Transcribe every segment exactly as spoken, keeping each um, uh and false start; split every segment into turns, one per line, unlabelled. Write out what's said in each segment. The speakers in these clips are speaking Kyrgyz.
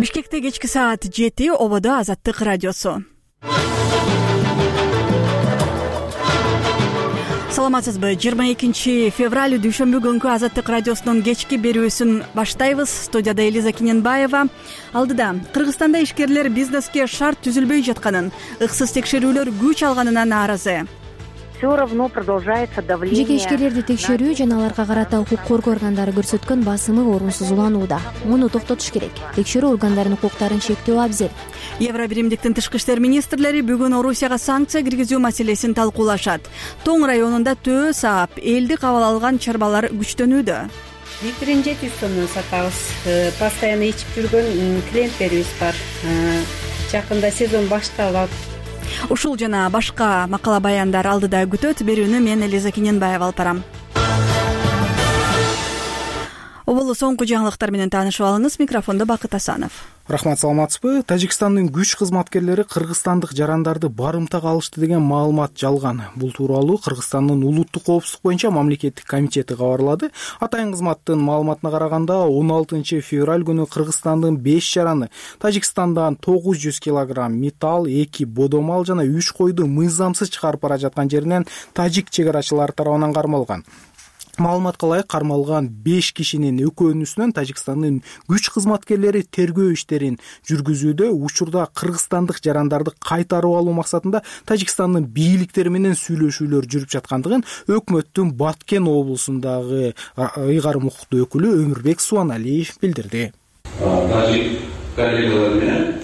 Бишкекте кечки саат жети, ободо Азаттык радиосу. Саламатсызбы? жыйырма экинчи февраль дүйшөмбү күнкү Азаттык радиосунун кечки берүүсүн баштайбыз. Студияда Элиза Киненбаева. Алдыда Кыргызстанда ишкерлер бизнеске шарт түзүлбөй жатканын, ыксыз текшерүүлөр күч алганына нааразы.
Все равно продолжается давление.
Жеке ишкерлерди текшерүү жана аларга карата укук коргоо органдары көрсөткөн басымы орунсуз уланууда. Муну токтотуш керек. Текшерүү органдарынын укуктарын чектөө абзел.
Евробиримдиктин тышкы иштер министрлери бүгүн Орусияга санкция киргизүү маселесин талкуулашат. Тоң районунда төө саап, элди кабыл алган чарбалар күчтөнүүдө.
Литрин жети жүз сомдон сатабыз. Постоянно ичип жүргөн клиенттерибиз бар. Жакында сезон башталат.
Ушул жана башка макала баяндар алдыда күтөт. Берүүнү мен Элиза Киненбаева алып барам. Оболу соңку жаңылыктар менен таанышып алыңыз. Микрофондо Бакыт Асанов.
Рахмат, саламатсызбы? Тажикстандын күч кызматкерлери кыргызстандык жарандарды барымтага алышты деген маалымат жалган. Бул тууралуу Кыргызстандын улуттук коопсуздук боюнча мамлекеттик комитети кабарлады. Атайын кызматтын маалыматына караганда он алтынчы февраль күнү Кыргызстандын беш жараны Тажикстандан тогуз жүз килограмм металл, эки бодомал жана үч койду мыйзамсыз чыгарып бара жаткан жеринен тажик чек арачылары тарабынан кармалган. Маалыматка ылайык кармалган беш кишинин экөөнүсүнөн Тажикстандын күч кызматкерлери тергөө иштерин жүргүзүүдө. Учурда кыргызстандык жарандарды кайтарып алуу максатында Тажикстандын бийликтери менен сүйлөшүүлөр жүрүп жаткандыгын өкмөттүн Баткен облусундагы ыйгарым укуктуу өкүлү Өмүрбек Суаналиев билдирди.
Тажик коллегалар менен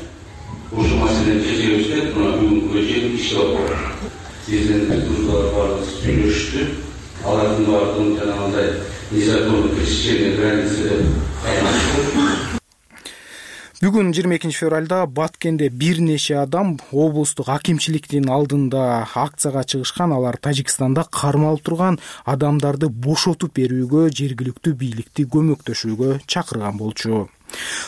ушул маселени чечебизде бүгүнкү чейин иштеп атат. Сиздин турдуулар баары сүйлөшүштү. Алардын баардыгын жанагындай незаконный пересечение границы деп кайнашты.
Бүгүн жыйырма экинчи февралда Баткенде бир нече адам облустук акимчиликтин алдында акцияга чыгышкан. Алар Тажикстанда кармалып турган адамдарды бошотуп берүүгө, жергиликтүү бийликти көмөктөшүүгө чакырган болчу.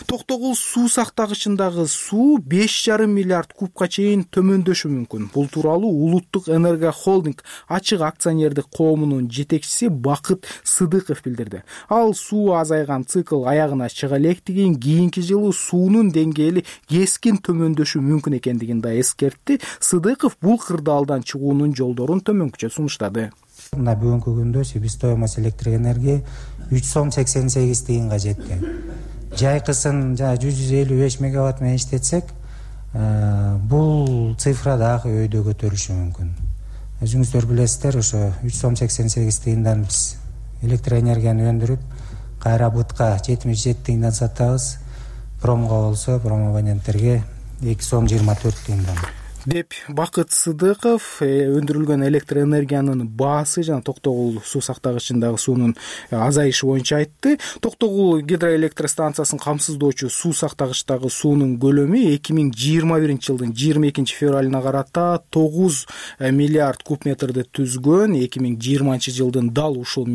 Токтогул суу сактагычындагы суу беш жарым миллиард кубка чейин төмөндөшү мүмкүн. Бул тууралуу Улуттук энерго холдинг ачык акционердик коомунун жетекчиси Бакыт Сыдыков билдирди. Ал суу азайган цикл аягына чыга электигин, кийинки жылы суунун деңгээли кескин төмөндөшү мүмкүн экендигин да эскертти. Сыдыков бул кырдаалдан чыгуунун жолдорун төмөнкүчө сунуштады.
Мына бүгүнкү күндө себестоимость электроэнергия үч сом сексен сегиз тыйынга жетти. Жайкысын жана жүз элүү беш мегаватт менен иштетсек, бул цифра дагы өйдө көтөрүлүшү мүмкүн. Өзүңүздөр билесиздер, ошо үч сом сексен сегиз тыйындан биз электроэнергияны өндүрүп, кайра бытка жетимиш жети тыйындан сатабыз. Промго болсо, промабоненттерге эки сом жыйырма төрт тыйындан.
Деп Бакыт Сыдыков өндүрүлгөн электроэнергиянын баасы жана Токтогул суу сактагычындагы суунун азайышы боюнча айтты. Токтогул гидроэлектростанциясын камсыздоочу суу сактагычтагы суунун көлөмү эки миң жыйырма биринчи жылдын жыйырма экинчи февралына карата тогуз миллиард куб метрди түзгөн. эки миң жыйырманчы жылдын дал ушул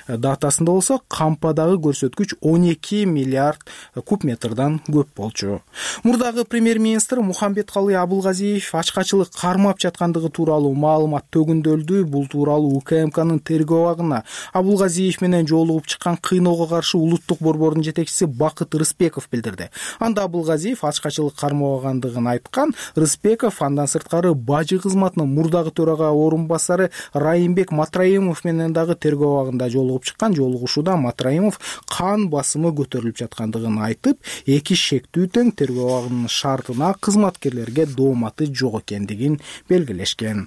датасында болсо кампадагы көрсөткүч он эки миллиард куб метрдан көп болчу. Мурдагы премьер-министр Мухамбеткалый Абылгазиев ачкачылык кармап жаткандыгы тууралуу маалымат төгүндөлдү. Бул тууралуу УКМКнын тергөө абагына Абылгазиев менен жолугуп чыккан кыйноого каршы улуттук борбордун жетекчиси Бакыт Рыспеков билдирди. Анда Абылгазиев ачкачылык кармабагандыгын айткан. Рыспеков андан сырткары бажы кызматынын мурдагы төрага орун басары Райымбек Матраимов менен дагы тергөө абагында жолугуп чыккан. Жолугушууда Матраимов кан басымы көтөрүлүп жаткандыгын айтып, эки шектүү тең тергөө абагынын шартына кызматкерлерге дооматы жок экендигин белгилешкен.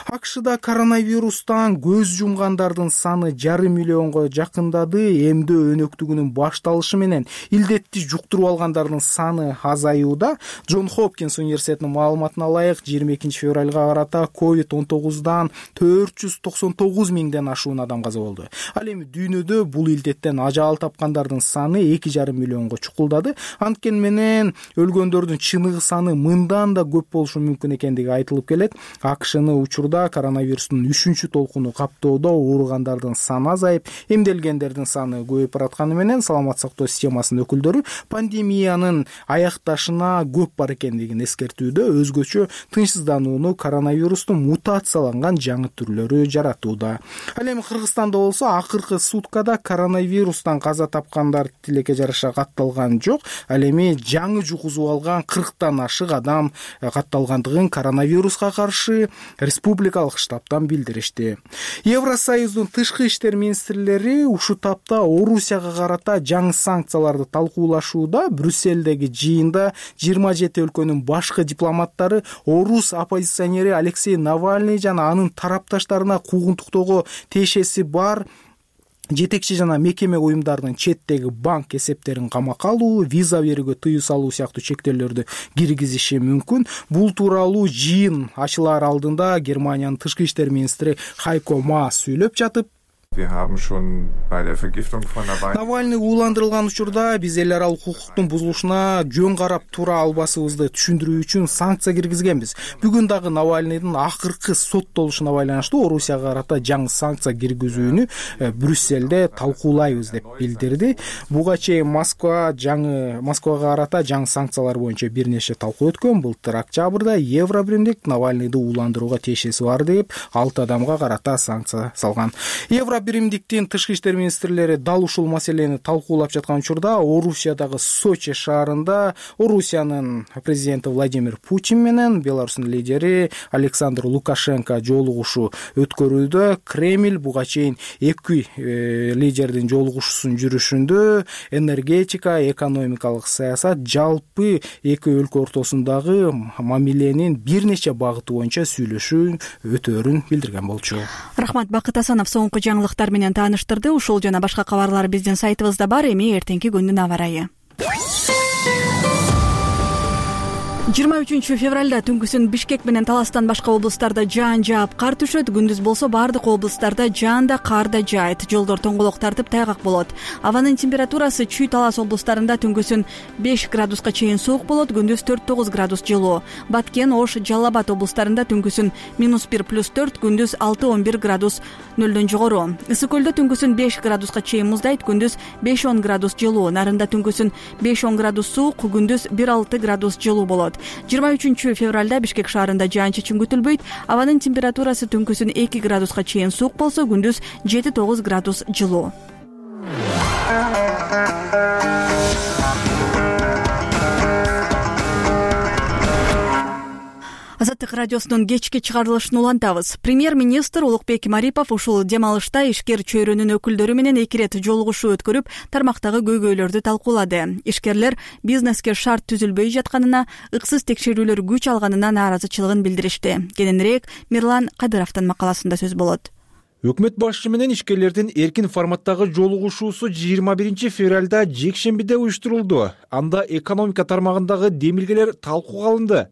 АКШда коронавирустан көз жумгандардын саны жарым миллионго жакындады. Эмдөө өнөктүгүнүн башталышы менен илдетти жуктуруп алгандардын саны азаюуда. Джон Хопкинс университетинин маалыматына ылайык жыйырма экинчи февралга карата ковид он тогуздан төрт жүз токсон тогуз миңден ашуун адам каза болду. Ал эми дүйнөдө бул илдеттен ажал тапкандардын саны эки жарым миллионго чукулдады. Анткени менен өлгөндөрдүн чыныгы саны мындан да көп болушу мүмкүн мүмкүн экендиги айтылып келет. АКШны учурда коронавирустун үчүнчү толкуну каптоодо ооругандардын саны азайып, эмделгендердин саны көбөйүп баратканы менен саламаттык сактоо системасынын өкүлдөрү пандемиянын аякташына көп бар экендигин эскертүүдө, өзгөчө тынчсызданууну коронавирустун мутацияланган жаңы түрлөрү жаратууда. Ал эми Кыргызстанда болсо акыркы суткада коронавирустан каза тапкандар тилекке жараша катталган жок. Ал эми жаңы жугузуп алган кырктан ашык адам катталгандыгын коронавируска каршы республикалык штабтан билдиришти. Евросоюздун тышкы иштер министрлери ушул тапта Орусияга карата жаңы санкцияларды талкуулашууда. Брюссельдеги жыйында жыйырма жети өлкөнүн башкы дипломаттары орус оппозиционери Алексей Навальный жана анын тарапташтарына куугунтуктоого тиешеси бар жетекчи жана мекеме уюмдарынын четтеги банк эсептерин камакка алуу, виза берүүгө тыюу салуу сыяктуу чектөөлөрдү киргизиши мүмкүн. Бул тууралуу жыйын ачылаар алдында Германиянын тышкы иштер министри Хайко Маас сүйлөп жатып, Навальный ууландырылган учурда биз эл аралык укуктун бузулушуна жөн карап тура албасыбызды түшүндүрүү үчүн санкция киргизгенбиз. Бүгүн дагы Навальныйдын акыркы соттолушуна байланыштуу Орусияга карата жаңы санкция киргизүүнү Брюссельде талкуулайбыз деп билдирди. Буга чейин Москва жаңы Москвага карата жаңы санкциялар боюнча бир нече талкуу өткөн. Былтыр октябрда Евробиримдик Навальныйды ууландырууга тиешеси бар деп алты адамга карата санкция салган. Биримдиктин тышкы иштер министрлери дал ушул маселени талкуулап жаткан учурда Орусиядагы Сочи шаарында Орусиянын президенти Владимир Путин менен Беларустун лидери Александр Лукашенко жолугушуу өткөрүүдө. Кремль буга чейин эки э, лидердин жолугушуусунун жүрүшүндө энергетика, экономикалык саясат, жалпы эки өлкө ортосундагы мамиленин бир нече багыты боюнча сүйлөшүү өтөөрүн билдирген болчу.
Рахмат, Бакыт Асанов соңку жаңылыктар менен тааныштырды. Ушул жана башка кабарлар биздин сайтыбызда бар. Эми эртеңки күндүн аба ырайы. жыйырма үчүнчү февралда түнкүсүн Бишкек менен Таластан башка облустарда жаан жаап, кар түшөт. Күндүз болсо бардык облустарда жаан да, кар да жаайт. Жолдор тоңголок тартып, тайгак болот. Абанын температурасы Чүй, Талас облустарында түнкүсүн беш градуска чейин суук болот, күндүз төрт тогуз градус жылуу. Баткен, Ош, Жалал Абад облустарында түнкүсүн минус бир плюс төрт, күндүз алты он бир градус нөлдөн жогору. Ысык көлдө түнкүсүн беш градуска чейин муздайт, күндүз беш он градус жылуу. Нарында түнкүсүн беш он градус суук, күндүз бир алты градус жылуу болот. жыйырма үчүнчү февралда Бишкек шаарында жаан-чачын күтүлбөйт. Абанын температурасы түнкүсүн эки градуска чейин суук болсо, күндүз жети тогуз градус жылуу. Азаттык радиосунун кечки чыгарылышын улантабыз. Премьер-министр Улукбек Марипов ушул дем алышта ишкер чөйрөнүн өкүлдөрү менен эки ирет жолугушуу өткөрүп, тармактагы көйгөйлөрдү талкуулады. Ишкерлер бизнеске шарт түзүлбөй жатканына, ыксыз текшерүүлөр күч алганына нааразычылыгын билдиришти. Кененирээк Мирлан Кадыровдун макаласында сөз болот.
Өкмөт башчысы менен ишкерлердин эркин форматтагы жолугушуусу жыйырма биринчи февралда жекшембиде уюштурулду. Анда экономика тармагындагы демилгелер талкууга алынды.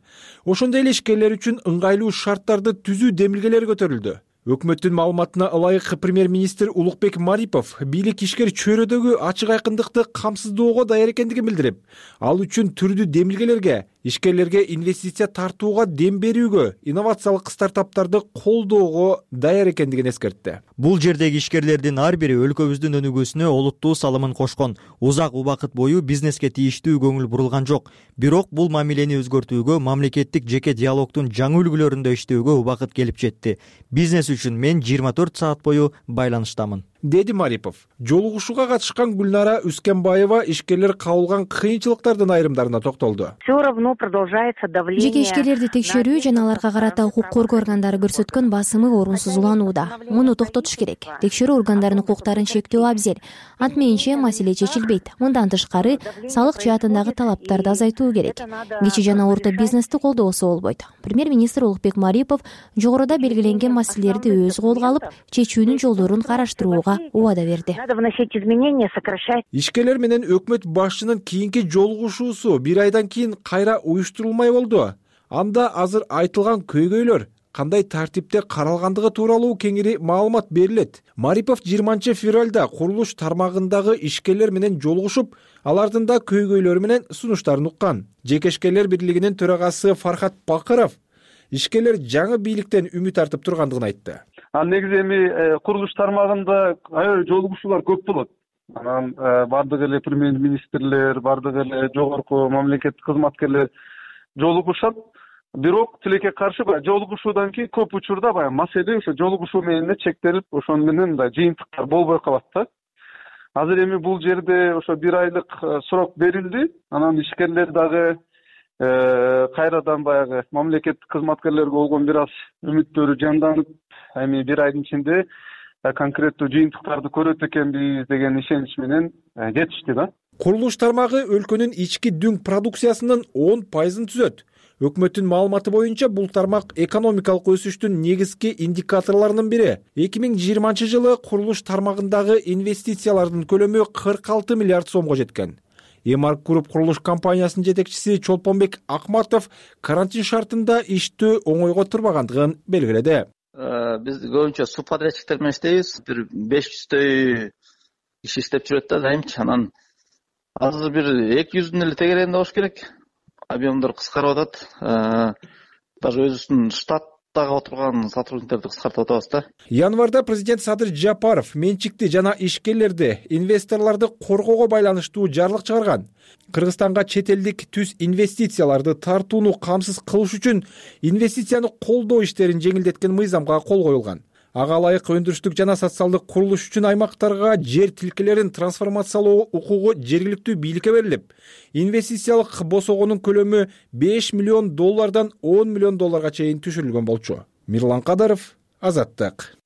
Ошондой эле ишкерлер үчүн ыңгайлуу шарттарды түзүү демилгелери көтөрүлдү. Өкмөттүн маалыматына ылайык премьер-министр Улукбек Марипов бийлик ишкер чөйрөдөгү ачык айкындыкты камсыздоого даяр экендигин билдирип, ал үчүн түрдүү демилгелерге, ишкерлерге инвестиция тартууга дем берүүгө, инновациялык стартаптарды колдоого даяр экендигин эскертти.
Бул жердеги ишкерлердин ар бири өлкөбүздүн өнүгүүсүнө олуттуу салымын кошкон. Узак убакыт бою бизнеске тийиштүү көңүл бурулган жок. Бирок бул мамилени өзгөртүүгө, мамлекеттик жеке диалогдун жаңы үлгүлөрүндө иштөөгө убакыт келип жетти. Бизнес үчүн мен жыйырма төрт саат бою байланыштамын,
деди Марипов. Жолугушууга катышкан Гүлнара Үскенбаева ишкерлер кабылган кыйынчылыктардын айрымдарына токтолду.
Все равно продолжается давление.
Жеке ишкерлерди текшерүү жана аларга карата укук коргоо органдары көрсөткөн басымы орунсуз уланууда. Муну токтотуш керек. Текшерүү органдарынын укуктарын чектөө абзел. Антмейинче маселе чечилбейт. Мындан тышкары салык жаатындагы талаптарды азайтуу керек. Кичи жана орто бизнести колдобосо болбойт. Премьер-министр Улукбек Марипов жогоруда белгиленген маселелерди өз колго алып, чечүүнүн жолдорун караштырууга убада берди.
Надо вносить изменения, сокращать.
Ишкерлер менен өкмөт башчынын кийинки жолугушуусу бир айдан кийин кайра уюштурулмай болду. Анда азыр айтылган көйгөйлөр кандай тартипте каралгандыгы тууралуу кеңири маалымат берилет. Марипов жыйырманчы февралда курулуш тармагындагы ишкерлер менен жолугушуп, алардын да көйгөйлөрү менен сунуштарын уккан. Жеке ишкерлер бирлигинин төрагасы Фархат Бакыров ишкерлер жаңы бийликтен үмүт артып тургандыгын айтты.
Ал негизи эми курулуш тармагында аябай жолугушуулар көп болот. Анан бардык эле премьер-министрлер, бардык эле жогорку мамлекеттик кызматкерлер жолугушат. Бирок тилекке каршы баягы жолугушуудан кийин көп учурда баягы маселе ошо жолугушуу менен эле чектелип, ошону менен мындай жыйынтыктар болбой калат да. Азыр эми бул жерде ошо бир айлык срок берилди. Анан ишкерлер дагы кайрадан баягы мамлекеттик кызматкерлерге болгон бир аз үмүттөрү жанданып, эми бир айдын ичинде конкреттүү жыйынтыктарды көрөт экенбиз деген ишенич менен кетишти да.
Курулуш тармагы өлкөнүн ички дүң продукциясынын он пайызын түзөт. Өкмөттүн маалыматы боюнча бул тармак экономикалык өсүштүн негизги индикаторлорунун бири. эки миң жыйырманчы жылы курулуш тармагындагы инвестициялардын көлөмү кырк алты миллиард сомго жеткен. Эмарк Груп курулуш компаниясынын жетекчиси Чолпонбек Акматов карантин шартында иштөө оңойго турбагандыгын белгиледи.
Биз көбүнчө субподрядчиктер менен иштейбиз. Бир беш жүздөй киши иштеп жүрөт да дайымчы. Анан азыр бир эки жүздүн эле тегерегинде болуш керек. Объемдор кыскарып атат. Даже өзүбүздүн штаттагы отурган сотрудниктерди кыскартып атабыз да.
Январда президент Садыр Жапаров менчикти жана ишкерлерди, инвесторлорду коргоого байланыштуу жарлык чыгарган. Кыргызстанга чет элдик түз инвестицияларды тартууну камсыз кылыш үчүн инвестицияны колдоо иштерин жеңилдеткен мыйзамга кол коюлган. Ага ылайык өндүрүштүк жана социалдык курулуш үчүн аймактарга жер тилкелерин трансформациялоо укугу жергиликтүү бийликке берилип, инвестициялык босогонун көлөмү беш миллион доллардан он миллион долларга чейин түшүрүлгөн болчу. Мирлан Кадаров, Азаттык.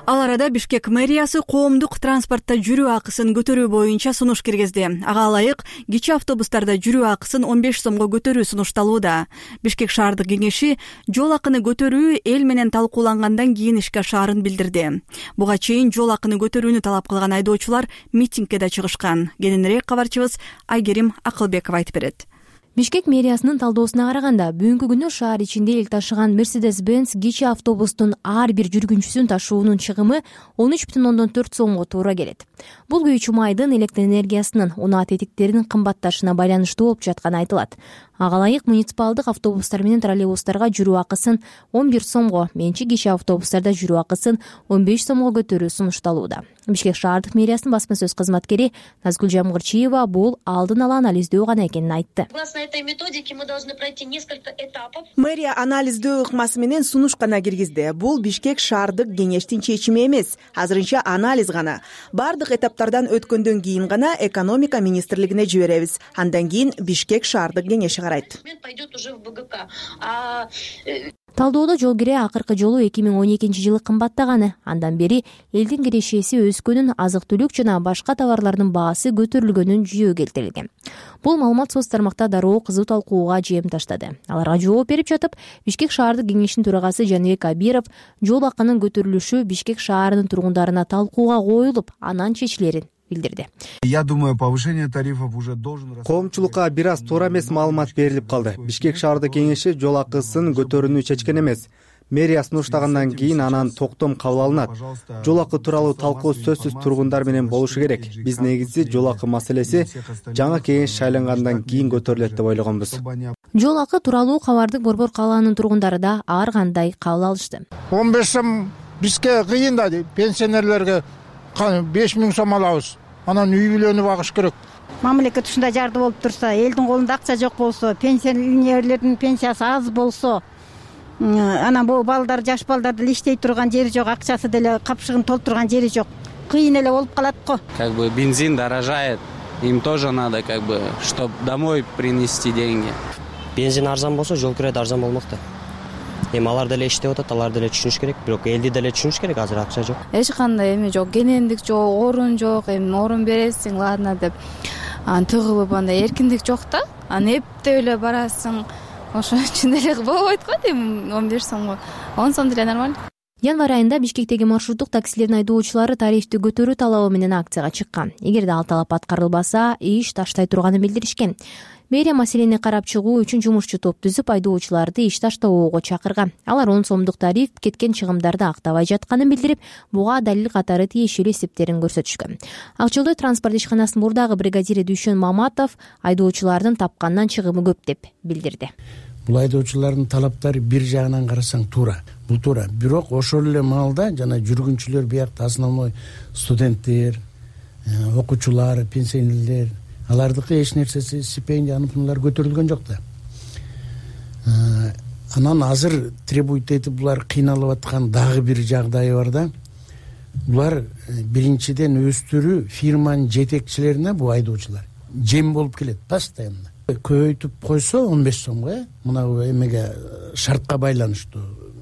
Ал арада Бишкек мэриясы коомдук транспортто жүрүү акысын көтөрүү боюнча сунуш киргизди. Ага ылайык кичи автобустарда жүрүү акысын он беш сомго көтөрүү сунушталууда. Бишкек шаардык кеңеши жол акыны көтөрүү эл менен талкуулангандан кийин ишке ашаарын билдирди. Буга чейин жол акыны көтөрүүнү талап кылган айдоочулар митингке да чыгышкан. Кененирээк кабарчыбыз Айгерим Акылбеков айтып берет.
Бишкек мэриясынын талдоосуна караганда, бүгүнкү күнү шаар ичинде эл ташыган Mercedes-Benz кичи автобустун ар бир жүргүнчүсүн ташуунун чыгымы он үч бүтүн ондон төрт сомго туура келет. Бул күйүүчү майдын электр энергиясынын унаа тетиктеринин кымбатташына байланыштуу болуп жатканы айтылат. Ага ылайык муниципалдык автобустар менен троллейбустарга жүрүү акысын он бир сомго, менчик кичи автобустарда жүрүү акысын он беш сомго көтөрүү сунушталууда. Бишкек шаардык мэриясынын басма сөз кызматкери Назгүл Жамгырчиева бул алдын ала анализдөө гана экенин айтты.
Мэрия анализдөө ыкмасы менен сунуш гана киргизди. Бул Бишкек шаардык кеңештин чечими эмес, азырынча анализ гана. Бардык этаптардан өткөндөн кийин гана экономика министрлигине жиберебиз. Андан кийин Бишкек шаардык кеңеши карайт.
Талдоодо жол кире акыркы жолу эки миң он экинчи жылы кымбаттаганы, андан бери элдин кирешеси өскөнүн, азык-түлүк жана башка товарлардын баасы көтөрүлгөнүн жүйө келтирилген. Бул маалымат соц тармакта дароо кызуу талкууга жем таштады. Аларга жооп берип жатып, Бишкек шаардык кеңешинин төрагасы Жаныбек Абиров жол акынын көтөрүлүшү Бишкек шаарынын тургундарына талкууга коюлуп, анан чечилерин билдирди.
Я думаю, повышение тарифов уже должен...
Коомчулукка бир аз туура эмес маалымат берилип калды. Бишкек шаардык кеңеши жол акысын көтөрүүнү чечкен эмес. Мэрия сунуштагандан кийин анан токтом кабыл алынат. Жол акы тууралуу талкуу сөзсүз тургундар менен болушу керек. Биз негизи жол акы маселеси жаңы кеңеш шайлангандан кийин көтөрүлөт деп ойлогонбуз.
Жол акы тууралуу кабарды Борбор калаанын тургундары да ар кандай кабыл алышты.
он беш сом бизге кыйын да, пенсионерлерге беш миң сом алабыз. Анан үй бүлөнү багыш керек.
Мамлекет ушундай жарды болуп турса, элдин колунда акча жок болсо, пенсионерлердин пенсиясы аз болсо, анан бул балдар, жаш балдарды деле иштей турган жери жок, акчасы деле капшыгын толтурган жери жок. Кыйын эле болуп калат го.
Как бы бензин дорожает, им тоже надо как бы, чтобы домой принести деньги.
Бензин арзан болсо, жол кирет арзан болмок да. Эми алар деле иштеп атат, алар деле түшүнүш керек, бирок элди деле түшүнүш керек, азыр акча жок.
Эч кандай эме жок, кенендик жок, орун жок, эми орун бересиң, ладно деп анан тыгылып андай эркиндик жок да. Анан эптеп эле барасың, ошон үчүн эле болбойт го эми он беш сомго. он сом деле нормально.
Январь айында Бишкектеги маршруттук таксилердин айдоочулары тарифти көтөрүү талабы менен акцияга чыккан. Эгерде ал талап аткарылбаса, иш таштай турганын билдиришкен. мэрия маселени карап чыгуу үчүн жумушчу топ түзүп айдоочуларды иш таштабоого чакырган. Алар он сомдук тариф кеткен чыгымдарды актабай жатканын билдирип, буга далил катары тиешелүү эсептерин көрсөтүшкөн. Ак Жолдой транспорт ишканасынын мурдагы бригадири Дүйшөн Маматов айдоочулардын тапкандан чыгымы көп деп билдирди.
Бул айдоочулардын талаптары бир жагынан карасаң туура, бул туура. Бирок ошол эле маалда жана жүргүнчүлөр биякта основной студенттер, окуучулар, пенсионерлер, алардыкы эч нерсеси стипендия аныкылар көтөрүлгөн жок да. Анан азыр требует этип булар кыйналып аткан дагы бир жагдайы бар да. Булар биринчиден өстүрүү фирманын жетекчилерине бул айдоочулар жем болуп келет постоянно. Көбөйтүп койсо он беш сомго, мына эмеге шартка байланыштуу.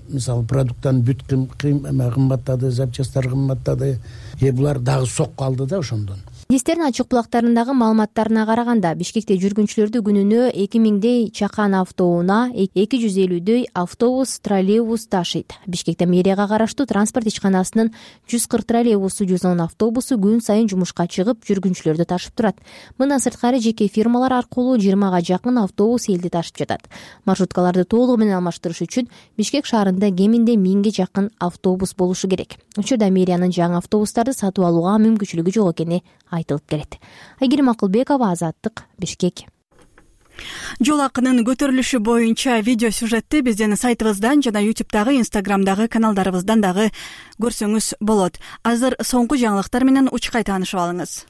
Мисалы продукттан бүт кымбаттады, запчасттар кымбаттады. Э булар дагы сокко алды да ошондон.
Министрдин ачык булактарындагы маалыматтарына караганда, Бишкекте жүргүнчүлөрдү күнүнө эки миңдей чакан автоунаа эки жүз элүүдөй автобус, троллейбус ташыйт. Бишкекте мэрияга караштуу транспорт ишканасынын жүз кырк троллейбусу, жүз он автобусу күн сайын жумушка чыгып, жүргүнчүлөрдү ташып турат. Мындан сырткары жеке фирмалар аркылуу жыйырмага жакын автобус элди ташып жатат. Маршруткаларды толугу менен алмаштырыш үчүн Бишкек шаарында кеминде миңге жакын автобус болушу керек. Учурда мэриянын жаңы автобустарды сатып алууга мүмкүнчүлүгү жок экени айтылып келет. Айгерим Акылбекова, Азаттык, Бишкек.
Жол акынын көтөрүлүшү боюнча видео сюжетти биздин сайтыбыздан жана ютубтагы, инстаграмдагы каналдарыбыздан дагы көрсөңүз болот. Азыр соңку жаңылыктар менен учкай таанышып алыңыз.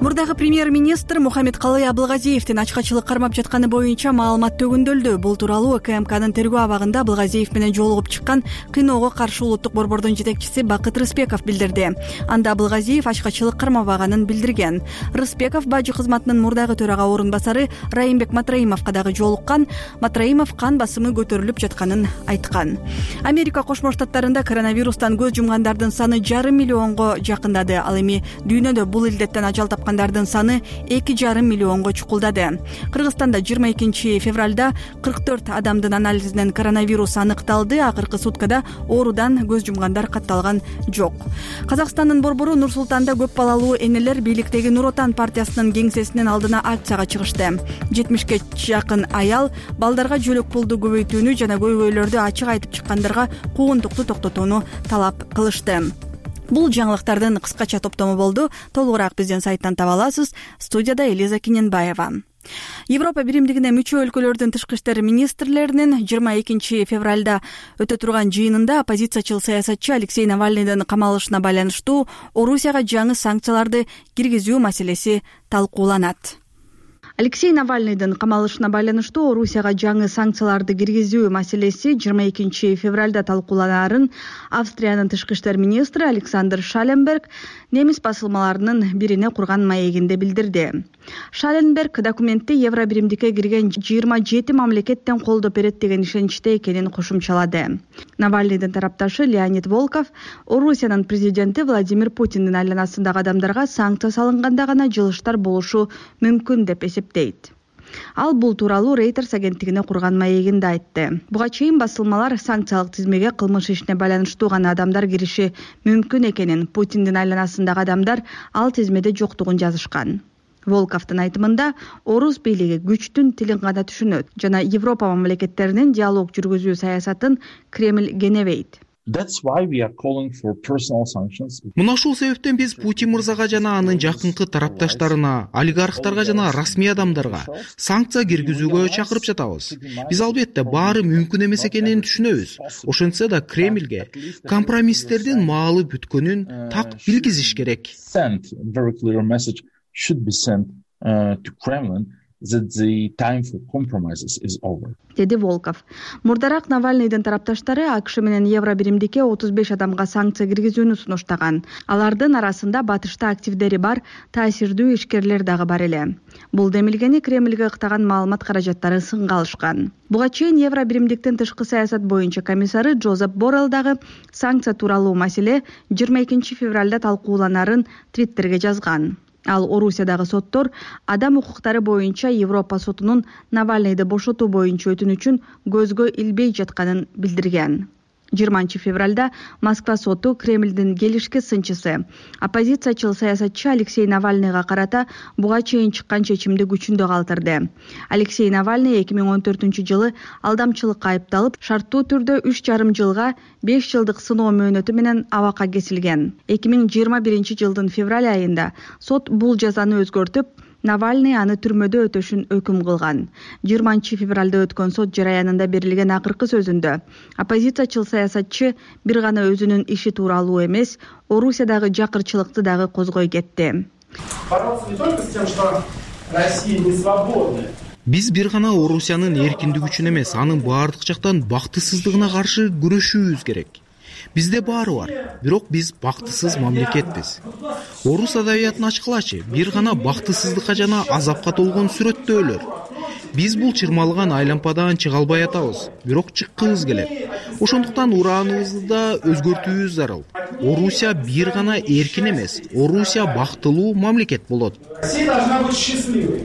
Мурдагы премьер-министр Мухаммедкалый Абылгазиевдин ачкачылык кармап жатканы боюнча маалымат төгүндөлдү. Бул тууралуу КМКнын тергөө абагында Абылгазиев менен жолугуп чыккан кыйноого каршы улуттук борбордун жетекчиси Бакыт Рыспеков билдирди. Анда Абылгазиев ачкачылык кармабаганын билдирген. Рыспеков бажы кызматынын мурдагы төрага орун басары Райымбек Матраимовго дагы жолуккан. Матраимов кан басымы көтөрүлүп жатканын айткан. Америка Кошмо Штаттарында коронавирустан көз жумгандардын саны жарым миллионго жакындады. Ал эми дүйнөдө бул илдеттен ажал тапкан саны эки жарым миллионго чукулдады. Кыргызстанда жыйырма экинчи февралда кырк төрт адамдын анализинен коронавирус аныкталды. Акыркы суткада оорудан көз жумгандар катталган жок. Казакстандын борбору Нур Султанда көп балалуу энелер бийликтеги Нур Отан партиясынын кеңсесинин алдына акцияга чыгышты. жетимишке жакын аял балдарга жөлөк пулду көбөйтүүнү жана көйгөйлөрдү ачык айтып чыккандарга куугунтукту токтотууну талап кылышты. Бул жаңылыктардын кыскача топтому болду. Толугураак биздин сайттан таба аласыз. Студияда Элиза Киненбаева. Европа биримдигине мүчө өлкөлөрдүн тышкы иштер министрлеринин жыйырма экинчи февралда өтө турган жыйынында оппозициячыл саясатчы Алексей Навальныйдын камалышына байланыштуу Орусияга жаңы санкцияларды киргизүү маселеси талкууланат. Алексей Навальныйдын камалышына байланыштуу Орусияга жаңы санкцияларды киргизүү маселеси жыйырма экинчи февралда талкууланарын Австриянын тышкы иштер министри Александр Шаленберг немис басылмаларынын бирине курган маегинде билдирди. Шаленберг документте Евро биримдикке кирген жыйырма жети мамлекеттен колдоо берет деген ишеничте экенин кошумчалады. Навальныйдын тарапташы Леонид Волков Орусиянын президенти Владимир Путиндин айланасындагы адамдарга санкция салынганда гана жылыштар болушу мүмкүн деп эсептейт. Ал бул тууралуу Reuters агенттигине курган маегинде айтты. Буга чейин басылмалар санкциялык тизмеге кылмыш ишине байланыштуу гана адамдар кириши мүмкүн экенин, Путиндин айланасындагы адамдар ал тизмеде жоктугун жазышкан. Волковдун айтымында орус бийлиги күчтүн тилин гана түшүнөт жана Европа мамлекеттеринин диалог жүргүзүү саясатын Кремль кенебейт.
Мына ушул себептен биз Путин мырзага жана анын жакынкы тарапташтарына, олигархтарга жана расмий адамдарга санкция киргизүүгө чакырып жатабыз. Биз албетте баары мүмкүн эмес экенин түшүнөбүз. Ошентсе да Кремльге компромисстердин маалы бүткөнүн так билгизиш керек.
That the time for compromises is over.
Деди Волков. Мурдарак Навальныйдын тарапташтары АКШ менен Евро биримдикке отуз беш адамга санкция киргизүүнү сунуштаган. Алардын арасында батышта активдери бар таасирдүү ишкерлер дагы бар эле. Бул демилгени Кремльге ыктаган маалымат каражаттары сынга алышкан. Буга чейин Евро биримдиктин тышкы саясат боюнча комиссары Джозеп Боррелл дагы санкция тууралуу маселе жыйырма экинчи февралда талкууланарын Твиттерге жазган. Ал Орусиядагы соттор адам укуктары боюнча Европа сотунун Навальныйды бошотуу боюнча өтүнүчүн көзгө илбей жатканын билдирген. жыйырманчы февралда Москва соту Кремлдин келишки сынчысы оппозициячыл саясатчы Алексей Навальныйга карата буга чейин чыккан чечимди күчүндө калтырды. Алексей Навальный эки миң он төртүнчү жылы алдамчылыкка айыпталып, шарттуу түрдө үч жарым жылга беш жылдык сыноо мөөнөтү менен абакка кесилген. эки миң жыйырма биринчи жылдын февраль айында сот бул жазаны өзгөртүп, Навальный аны түрмөдө өтөшүн өкүм кылган. жыйырманчы февралда өткөн сот жараянында берилген акыркы сөзүндө оппозициячыл саясатчы бир гана өзүнүн иши тууралуу эмес, Орусиядагы жакырчылыкты дагы козгой кетти.
Биз бир гана Орусиянын эркиндиги үчүн эмес, анын баардык жактан бактысыздыгына каршы күрөшүүбүз керек. Бизде баары бар, бирок биз бактысыз мамлекетпиз. Орус адабиятын ачкылачы, бир гана бактысыздыкка жана азапка толгон сүрөттөөлөр. Биз бул чырмалган айлампадан чыга албай атабыз, бирок чыккыбыз келет. Ошондуктан урааныбызды да өзгөртүүбүз зарыл. Орусия бир гана эркин эмес, Орусия бактылуу мамлекет болот.
Россия должна быть счастливой.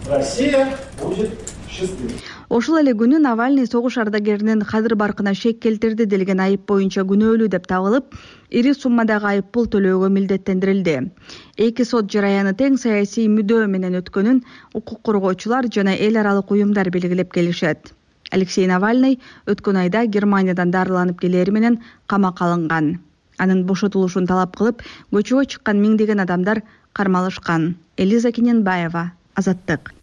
Россия будет счастливой.
Ошол эле күнү Навальный согуш ардагеринин кадыр баркына шек келтирди делген айып боюнча күнөөлүү деп табылып, ири суммадагы айып пул төлөөгө милдеттендирилди. Эки сот жараяны тең саясий мүдөө менен өткөнүн укук коргоочулар жана эл аралык уюмдар белгилеп келишет. Алексей Навальный өткөн айда Германиядан дарыланып келери менен камакка алынган. Анын бошотулушун талап кылып, көчөгө чыккан миңдеген адамдар кармалышкан. Элиза Кененбаева, Азаттык.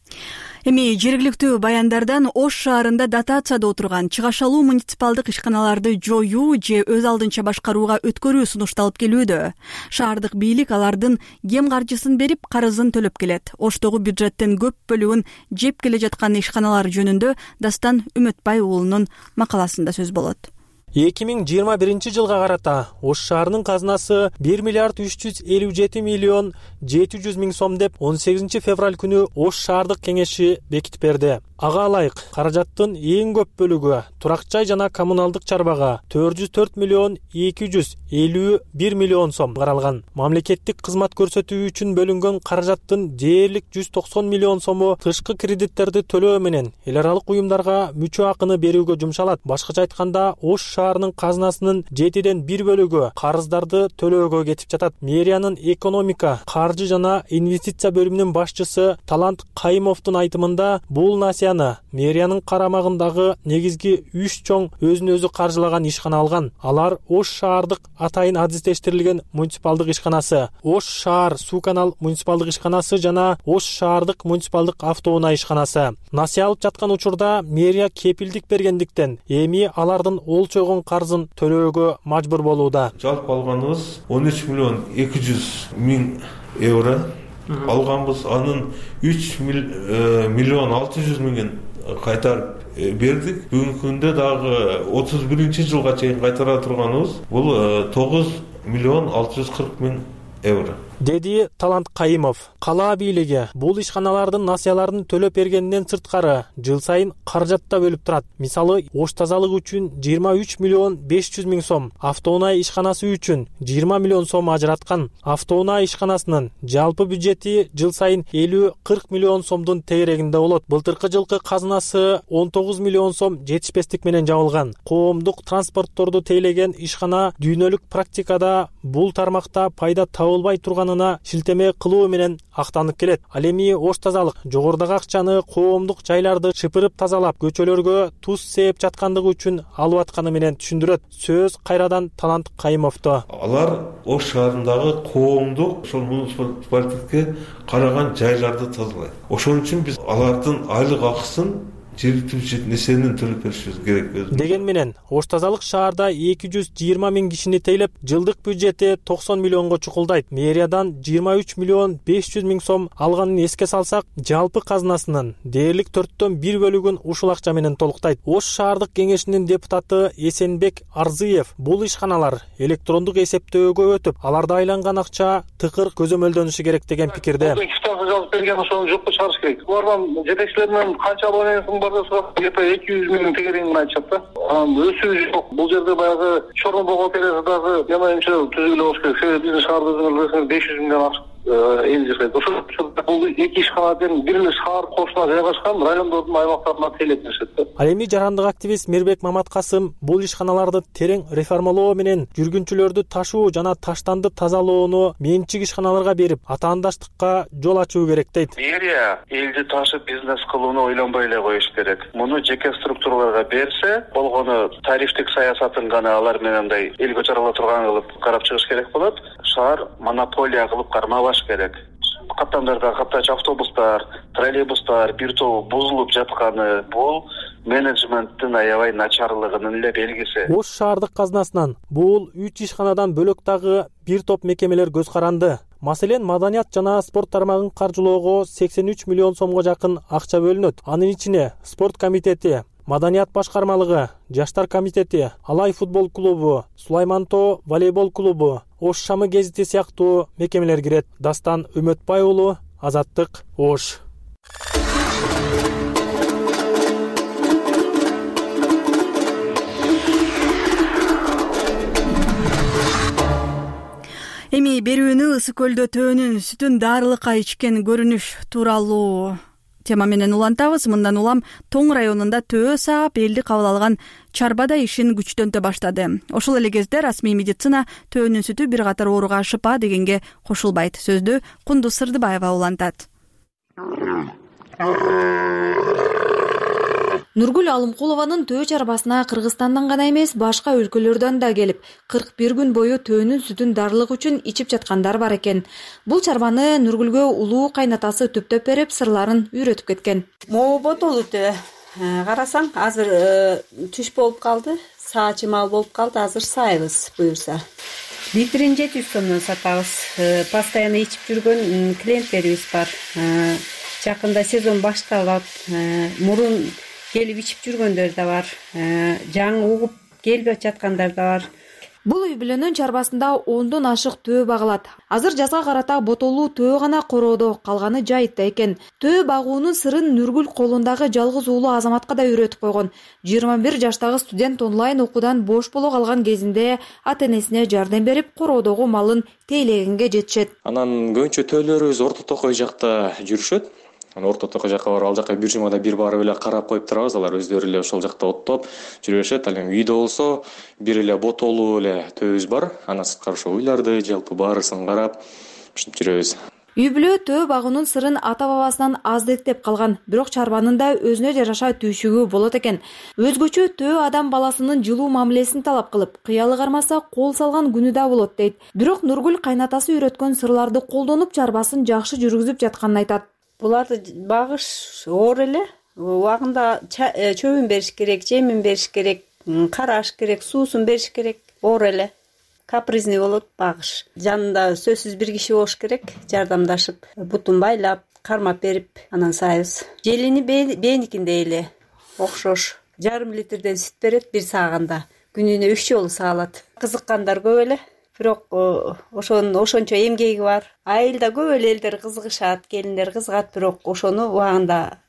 Эми жергиликтүү баяндардан Ош шаарында дотацияда отурган чыгашалуу муниципалдык ишканаларды жоюу же өз алдынча башкарууга өткөрүү сунушталып келүүдө. Шаардык бийлик алардын кем каржысын берип, карызын төлөп келет. Оштогу бюджеттин көп бөлүгүн жеп келе жаткан ишканалар жөнүндө Дастан Үмөтбай уулунун макаласында сөз болот.
эки миң жыйырма биринчи жылга карата Ош шаарынын казынасы бир миллиард үч жүз элүү жети миллион жети жүз миң сом деп он сегизинчи февраль күнү Ош шаардык кеңеши бекитип берди. Ага ылайык каражаттын эң көп бөлүгү турак жай жана коммуналдык чарбага төрт жүз төрт миллион эки жүз элүү бир миллион сом каралган. Мамлекеттик кызмат көрсөтүү үчүн бөлүнгөн каражаттын дээрлик жүз токсон миллион сому тышкы кредиттерди төлөө менен эл аралык уюмдарга мүчө акыны берүүгө жумшалат. Башкача айтканда, Ош шаарынын казынасынын жетиден бир бөлүгү карыздарды төлөөгө кетип жатат. Мэриянын экономика, каржы жана инвестиция бөлүмүнүн башчысы Талант Кайымовдун айтымында, бул насия мэриянын карамагындагы негизги үч чоң өзүн өзү каржылаган ишкана алган. Алар Ош шаардык атайын адистештирилген муниципалдык ишканасы, Ош шаар суу канал муниципалдык ишканасы жана Ош шаардык муниципалдык автоунаа ишканасы. Насыя алып жаткан учурда мэрия кепилдик бергендиктен эми алардын олчойгон карызын төлөөгө мажбур болууда.
Жалпы алганыбыз он үч миллион эки жүз миң евро алганбыз. Анын үч миллион алты жүз миңин кайтарып бердик. Бүгүнкү күндө дагы отуз биринчи жылга чейин кайтара турганыбыз бул тогуз миллион алты жүз кырк миң евро,
деди Талант Кайымов. Кала бийлиги бул ишканалардын насыяларын төлөп бергенден сырткары жыл сайын каражат да бөлүп турат. Мисалы, Ош тазалык үчүн жыйырма үч миллион беш жүз миң сом, автоунаа ишканасы үчүн жыйырма миллион сом ажыраткан. Автоунаа ишканасынын жалпы бюджети жыл сайын элүү кырк миллион сомдун тегерегинде болот. Былтыркы жылкы казынасы он тогуз миллион сом жетишпестик менен жабылган. Коомдук транспортторду тейлеген ишкана дүйнөлүк практикада бул тармакта пайда табылбай турганына шилтеме кылуу менен актанып келет. Ал эми Ош тазалык жогорудагы акчаны коомдук жайларды шыпырып тазалап, көчөлөргө туз сээп жаткандыгы үчүн алып атканы менен түшүндүрөт. Сөз кайрадан Талант Кайымовдо.
Алар Ош шаарындагы коомдук ошол муниципалитетке караган жайларды тазалайт. Ошон үчүн биз алардын айлык акысын жергиликтүү бюджеттин эсебинен төлөп беришибиз керек.
Деген менен Ош тазалык шаарда эки жүз жыйырма миң кишини тейлеп, жылдык бюджети токсон миллионго чукулдайт. Мэриядан жыйырма үч миллион беш жүз миң сом алганын эске салсак, жалпы казынасынын дээрлик төрттөн бир бөлүгүн ушул акча менен толуктайт. Ош шаардык кеңешинин депутаты Эсенбек Арзыев бул ишканалар электрондук эсептөөгө өтүп, аларда айланган акча тыкыр көзөмөлдөнүшү керек деген пикирде.
Жазып берген ошону жокко чыгарыш керек. Булардан жетекчилеринен канча абонентиң бар десе, где-то эки жүз миңдин тегерегин айтышат да. Анан өсүү жок. Бул жерде баягы чорно бухгалтериясы дагы ямайымча түзүлө болуш керек. Себеби биздин шаарда өзүңөр билесиңер беш жүз миңден ашык эң жакшы. Бул эки ишканадан бир эле шаар кошуна жайгашкан райондордун аймактарына тейлетишет да.
Ал эми жарандык активист Мирбек Маматкасым бул ишканаларды терең реформалоо менен жүргүнчүлөрдү ташуу жана таштанды тазалоону менчик ишканаларга берип, атаандаштыкка жол ачуу керек дейт.
Мэрия элди ташып бизнес кылууну ойлонбой эле коюш керек. Муну жеке структураларга берсе, болгону тарифтик саясатын гана алар менен мындай элге чарала турган кылып карап чыгыш керек болот. Шаар монополия кылып кармабаш керек. Каттамдарда каттач автобустар, троллейбустар бир тобу бузулуп жатканы бул менеджменттин аябай начарлыгынын эле белгиси.
Ош шаардык казнасынан бул үч ишканадан бөлөк дагы бир топ мекемелер көз каранды. Маселен, маданият жана спорт тармагын каржылоого сексен үч миллион сомго жакын акча бөлүнөт. Анын ичине спорт комитети, маданият башкармалыгы, жаштар комитети, Алай футбол клубу, Сулаймантоо волейбол клубу, Ош Шамы гезити сыяктуу мекемелер кирет. Дастан Үмөтбай уулу, Азаттык, Ош.
Эми берүүнү Ысык көлдө төөнүн сүтүн дарылыкка ичкен көрүнүш тууралуу тема менен улантабыз. Мындан улам Тоң районунда төө саап элди кабыл алган чарбада ишин күчтөнтө баштады. Ошол эле кезде расмий медицина төөнүн сүтү бир катар ооруга шыпа дегенге кошулбайт. Сөздү Кундуз Сырдыбаева улантат.
Нургүл Алымкулованын төө чарбасына Кыргызстандан гана эмес, башка өлкөлөрдөн да келип, кырк бир күн бою төөнүн сүтүн дарылык үчүн ичип жаткандар бар экен. Бул чарбаны Нургүлгө улуу кайнатасы түптөп берип, сырларын үйрөтүп кеткен.
Могу ботолу төө. Карасаң, азыр түш болуп калды, саачы мал болуп калды, азыр сайбыз буюрса. Литрин жети жүз сомдон сатабыз. Постоянно ичип жүргөн клиенттерибиз бар. Жакында сезон башталат. Мурун келип ичип жүргөндөр да бар. Жаңы угуп келбей жаткандар да бар.
Бул үй бүлөнүн чарбасында ондон ашык төө багылат. Азыр жазга карата ботолуу төө гана короодо, калганы жайытта экен. Төө багуунун сырын Нургүл колундагы жалгыз уулу Азаматка да үйрөтүп койгон. жыйырма бир жаштагы студент онлайн окуудан бош боло калган кезинде ата-энесине жардам берип, короодогу малын тейлегенге жетишет.
Анан көбүнчө төөлөрүбүз Орто Токой жакта жүрүшөт. Орто Токой жакка барып, ал жакка бир жумада бир барып эле карап коюп турабыз. Алар өздөрү эле ошол жакта оттоп жүрүшөт. Ал эми үйдө болсо бир эле ботолуу эле төөбүз бар. Анан сырткары ошо уйларды, жалпы баарысын карап ушинтип жүрөбүз.
Үй бүлө төө багуунун сырын ата-бабасынан аздыктеп калган, бирок чарбанын да өзүнө жараша түйшүгү болот экен. Өзгөчө төө адам баласынын жылуу мамилесин талап кылып, кыялы кармаса кол салган күнү да болот дейт. Бирок Нургүл кайнатасы үйрөткөн сырларды колдонуп чарбасын жакшы жүргүзүп жатканын айтат.
Буларды багыш оор эле, убагында чөбүн бериш керек, жемин бериш керек, караш керек, суусун бериш керек, оор эле. Капризный болот багыш. Жанында сөзсүз бир киши болуш керек, жардамдашып, бутун байлап, кармап берип, анан сайбыз. Желини бээникиндей эле окшош. Жарым литрден сүт берет бир сааганда. Күнүнө үч жолу саалат. Кызыккандар көп эле. Бирок ошонун ошончо эмгеги бар. Айылда көп эле элдер кызыгышат, келиндер кызыгат, бирок ошону убагында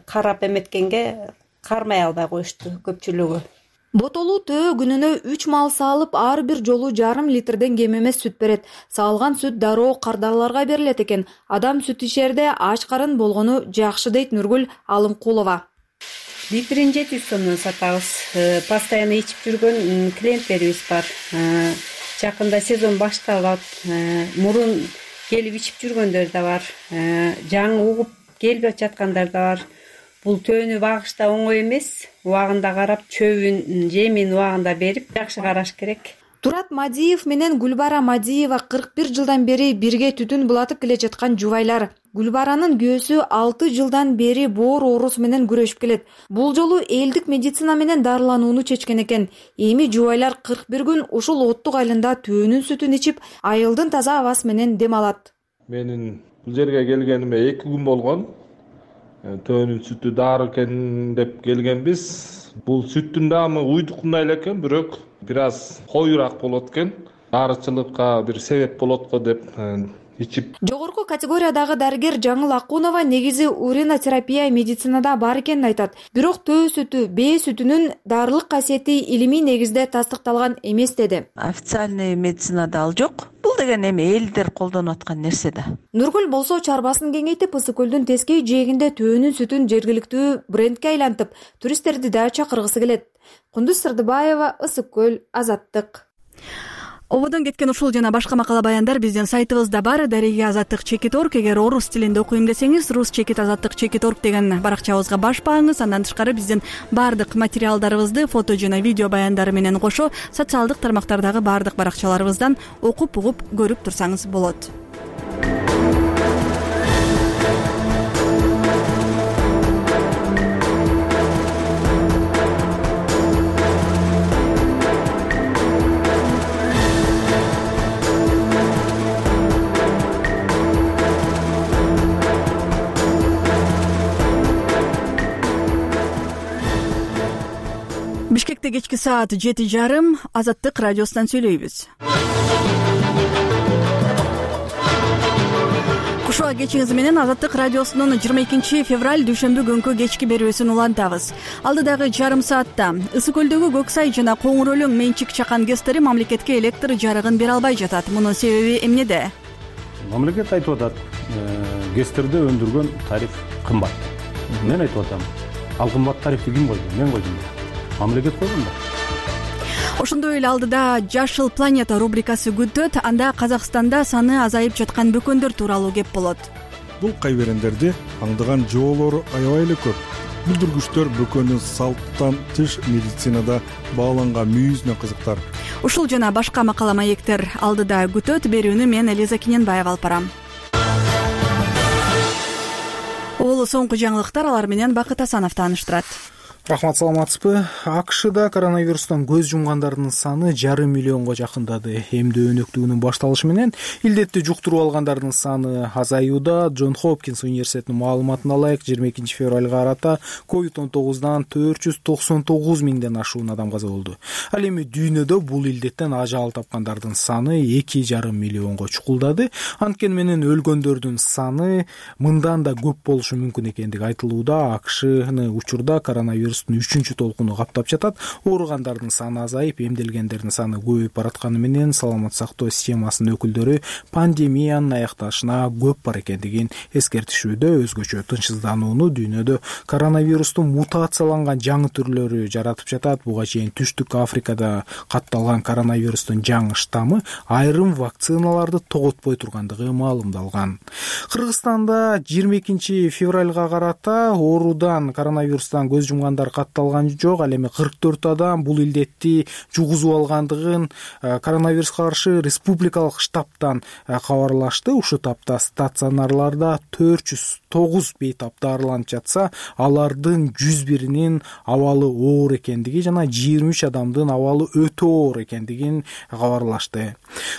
карап эметкенге кармай албай коюшту көпчүлүгү.
Ботолуу төө күнүнө үч мал саалып, ар бир жолу жарым литрден кем эмес сүт берет. Саалган сүт дароо кардарларга берилет экен. Адам сүт ичерде ач карын болгону жакшы дейт Нургүл Алымкулова.
Литрин жети жүз сомдон сатабыз. Постоянно ичип жүргөн клиенттерибиз бар. Жакында сезон башталат. Мурун келип ичип жүргөндөр да бар. Жаңы угуп келбей жаткандар да бар. Бул төөнү багышта оңой эмес. Убагында карап, чөбүн, жемин убагында берип, жакшы караш керек.
Турат Мадиев менен Гүлбара Мадиева кырк бир жылдан бери бирге түтүн булатып келе жаткан жубайлар. Гүлбаранын күйөөсү алты жылдан бери боор оорусу менен күрөшүп келет. Бул жолу элдик медицина менен дарыланууну чечкен экен. Эми жубайлар кырк бир күн ушул оттук айылында төөнүн сүтүн ичип, айылдын таза абасы менен дем алат.
Менин бул жерге келгениме эки күн болгон. Төөнүн сүтү дары экен деп келгенбиз. Бул сүттүн даамы уйдукундай эле экен, бирок бир аз коюраак болот экен. Дарычылыкка бир себеп болот го деп ичип.
Жогорку категориядагы дарыгер Жаңыл Акунова негизи уринотерапия медицинада бар экенин айтат. Бирок төө сүтү, бээ сүтүнүн дарылык касиети илимий негизде тастыкталган эмес деди.
Официальный медицинада ал жок. Бул
деген эми элдер колдонуп аткан нерсе да.
Нургүл болсо чарбасын кеңейтип, Ысык көлдүн тескей жээгинде төөнүн сүтүн жергиликтүү брендке айлантып, туристтерди да чакыргысы келет. Кундуз Сырдыбаева, Ысык көл, Азаттык. Ободон кеткен ушул жана башка макала баяндар биздин сайтыбызда бар. Дареги азаттык чекит орг. Эгер орус тилинде окуйм десеңиз, рус чекит азаттык чекит орг деген баракчабызга баш бааңыз. Андан тышкары биздин баардык материалдарыбызды фото жана видео баяндары менен кошо социалдык тармактардагы баардык баракчаларыбыздан окуп угуп көрүп турсаңыз болот. Бишкекте кечки саат жети жарым. Азаттык радиосунан сүйлөйбүз. Кушуа кечиңиз менен Азаттык радиосунун жыйырма экинчи февраль дүйшөмбү күнкү кечки берүүсүн улантабыз. Алдыдагы жарым саатта Ысык көлдөгү Көк Сай жана Коңур Өлөң менчик чакан ГЭСтери мамлекетке электр жарыгын бере албай жатат. Мунун себеби эмнеде?
Мамлекет айтып атат, ГЭСтерди өндүргөн тариф кымбат. Мен айтып атам, ал кымбат тарифти ким койду? Мен койдум. Мамлекет койгон да.
Ошондой эле алдыда Жашыл планета рубрикасы күтөт. Анда Казакстанда саны азайып жаткан бөкөндөр тууралуу кеп болот.
Бул кайберендерди аңдыган жоолору аябай эле көп. Бүлдүргүчтөр бөкөндүн салттан тыш медицинада бааланган мүйүзүнө кызыктар.
Ушул жана башка макала маектер алдыда күтөт. Берүүнү мен Элиза Киненбаева алып барам. Ол соңку жаңылыктар, алар менен Бакыт Асанов тааныштырат.
Рахмат, саламатсызбы? АКШда коронавирустан көз жумгандардын саны жарым миллионго жакындады. Эмдөө өнөктүгүнүн башталышы менен илдетти жуктуруп алгандардын саны азаюуда. Джон Хопкинс университетинин маалыматына ылайык жыйырма экинчи февралга карата ковид он тогуздан төрт жүз токсон тогуз миңден ашуун адам каза болду. Ал эми дүйнөдө бул илдеттен ажал тапкандардын саны эки жарым миллионго чукулдады. Анткени менен өлгөндөрдүн саны мындан да көп болушу мүмкүн экендиги айтылууда. АКШны учурда коронавирус үчүнчү толкуну каптап жатат. Ооругандардын саны азайып, эмделгендердин саны көбөйүп баратканы менен саламат сактоо системасынын өкүлдөрү пандемиянын аякташына көп бар экендигин эскертишүүдө. Өзгөчө тынчсызданууну дүйнөдө коронавирустун мутацияланган жаңы түрлөрү жаратып жатат. Буга чейин Түштүк Африкада катталган коронавирустун жаңы штаммы айрым вакциналарды тоготпой тургандыгы маалымдалган. Кыргызстанда жыйырма экинчи февралга карата оорудан, коронавирустан көз жумган катталган жок. Ал эми кырк төрт адам бул илдетти жугузуп алгандыгын коронавируска каршы республикалык штабтан кабарлашты. Ушул тапта стационарларда төрт жүз тогуз бейтап дарыланып жатса, алардын жүз биринин абалы оор экендиги жана жыйырма үч адамдын абалы өтө оор экендигин кабарлашты.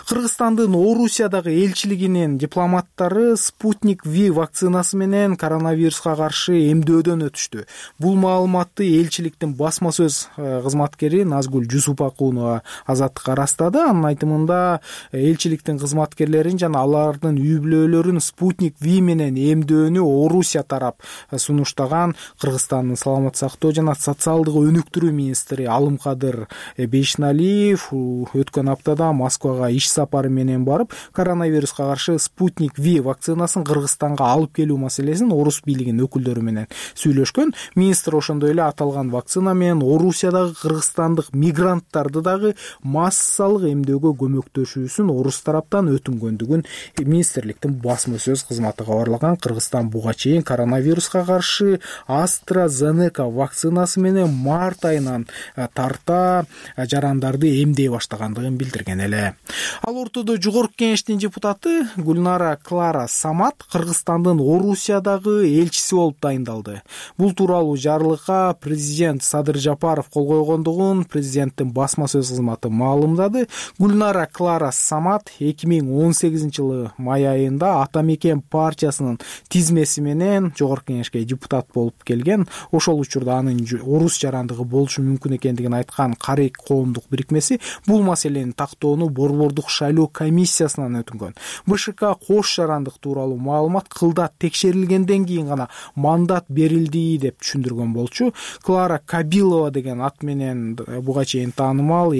Кыргызстандын Орусиядагы элчилигинин дипломаттары Спутник V вакцинасы менен коронавируска каршы эмдөөдөн өтүштү. Бул маалыматты элчиликтин басма сөз кызматкери Назгүл Жусупакунова Азаттыкка ырастады. Анын айтымында элчиликтин кызматкерлерин жана алардын үй бүлөлөрүн Спутник V менен эмдөөнү Орусия тарап сунуштаган. Кыргызстандын саламат сактоо жана социалдык өнүктүрүү министри Алымкадыр Бейшналиев өткөн аптада Москвага иш сапары менен барып, коронавируска каршы Спутник V вакцинасын Кыргызстанга алып келүү маселесин орус бийлигинин өкүлдөрү менен сүйлөшкөн. Министр ошондой эле аталган вакцина менен Орусиядагы кыргызстандык мигранттарды дагы массалык эмдөөгө көмөктөшүүсүн орус тараптан өтүнгөндүгүн министрликтин басма сөз кызматы кабарлаган. Кыргызстан буга чейин коронавируска каршы AstraZeneca вакцинасы менен март айынан тарта жарандарды эмдей баштагандыгын билдирген эле. Ал ортодо жогорку кеңештин депутаты Гүлнара Клара Самат Кыргызстандын Орусиядагы элчиси болуп дайындалды. Бул тууралуу жарлыкка президент Садыр Жапаров кол койгондугун президенттин басма сөз кызматы маалымдады. Гүлнара Клара Самат эки миң он сегизинчи жылы май айында Ата Мекен партиясынын тизмеси менен жогорку кеңешке депутат болуп келген. Ошол учурда анын орус жарандыгы болушу мүмкүн экендигин айткан Карек коомдук бирикмеси бул маселени тактоону борбордук шайлоо комиссиясынан өтүнгөн. БШК кош жарандык тууралуу маалымат кылдат текшерилгенден кийин гана мандат берилди деп түшүндүргөн болчу. Клара Кабилова деген ат менен буга чейин таанымал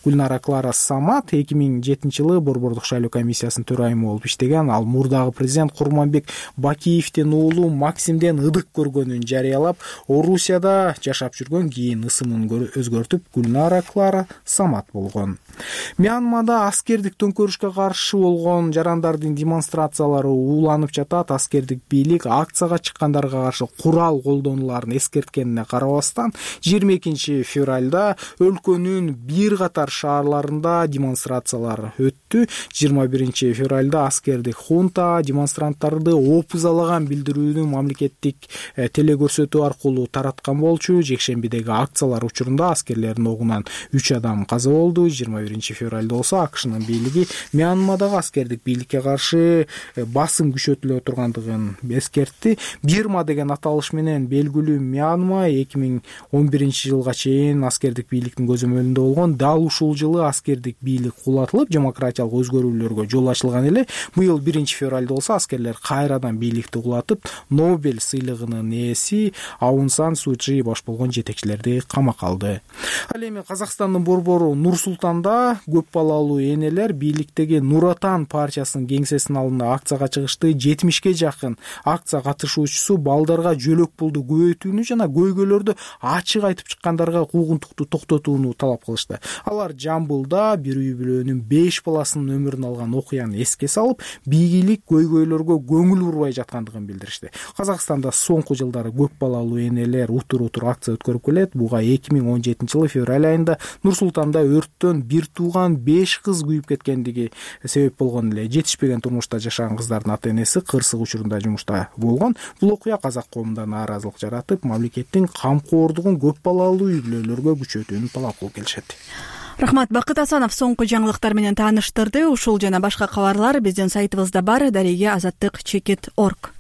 Гүлнара Клара Самат эки миң жетинчи жылы Борбордук шайлоо комиссиясынын төрайымы болуп иштеген. Ал мурдагы президент Курманбек Бакиевдин уулу Максимден ыдык көргөнүн жарыялап, Орусияда жашап жүргөн, кийин ысымын өзгөртүп Гүлнара Клара Самат болгон. Мьянмада аскердик төңкөрүшкө каршы болгон жарандардын демонстрациялары ууланып жатат. Аскердик бийлик акцияга чыккандарга каршы курал колдонуларын эскерткенине карабастан жыйырма экинчи февралда өлкөнүн бир катар шаарларында демонстрациялар өттү. жыйырма биринчи февралда аскердик хунта демонстранттарды опузалаган билдирүүнү мамлекеттик телекөрсөтүү аркылуу тараткан болчу. Жекшембидеги акциялар учурунда аскерлердин огунан үч адам каза болду. жыйырма биринчи февралда болсо АКШнын бийлиги Мьянмадагы аскердик бийликке каршы басым күчөтүлө тургандыгын эскертти. Бирма деген аталыш менен белгилүү Мьянма эки миң он биринчи жылга чейин аскердик бийликтин көзөмөлүндө болгон. Дал ушул жылы аскердик бийлик кулатылып, демократиялык өзгөрүүлөргө жол ачылган эле. Быйыл биринчи февралда болсо аскерлер кайрадан бийликти кулатып, Нобель сыйлыгынын ээси Аун Сан Суу Чжи баш болгон жетекчилерди камакка алды. Ал эми Казакстандын борбору Нур-Султанда көп балалуу энелер бийликтеги Нур Отан партиясынын кеңсесинин алдында акцияга чыгышты. жетимишке жакын акция катышуучусу балдарга жөлөк пулду көбөйтүүнү жана көйгөйлөрдү ачык айтып чыккандарга куугунтукту токтотууну талап кылышты. Алар Жамбылда бир үй бүлөнүн беш баласынын өмүрүн алган окуяны эске салып, бийлик көйгөйлөргө көңүл бурбай жаткандыгын билдиришти. Казакстанда соңку жылдары көп балалуу энелер утур-утур акция өткөрүп келет. Буга эки миң он жетинчи жылы февраль айында Нур-Султанда өрттөн бир тууган беш кыз күйүп кеткендиги себеп болгон эле. Жетишпеген турмушта жашаган кыздардын ата-энеси кырсык учурунда жумушта болгон. Бул окуя казак коомунда нааразылык жаратып, мамлекеттин камкордугун көп балалуу үй бүлөлөргө күчөтүүнү талап кылып келишет.
Рахмат, Бакыт Асанов соңку жаңылыктар менен тааныштырды. Ушул жана башка кабарлар биздин сайтыбызда бар. Дареге азаттык чекит точка орг.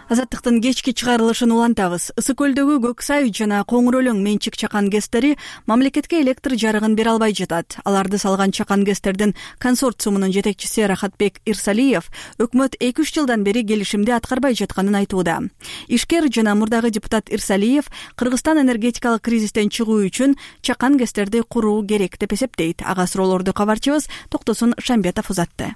Азаттыктын кечки чыгарылышын улантабыз. Ысык көлдөгү Көк Сай жана Коңур Өлөң менчик чакан гэстери мамлекетке электр жарыгын бере албай жатат. Аларды салган чакан гэстердин консорциумунун жетекчиси Рахатбек Ирсалиев өкмөт эки үч жылдан бери келишимди аткарбай жатканын айтууда. Ишкер жана мурдагы депутат Ирсалиев Кыргызстан энергетикалык кризистен чыгуу үчүн чакан гэстерди куруу керек деп эсептейт. Ага суроолорду кабарчыбыз Токтосун Шамбетов узатты.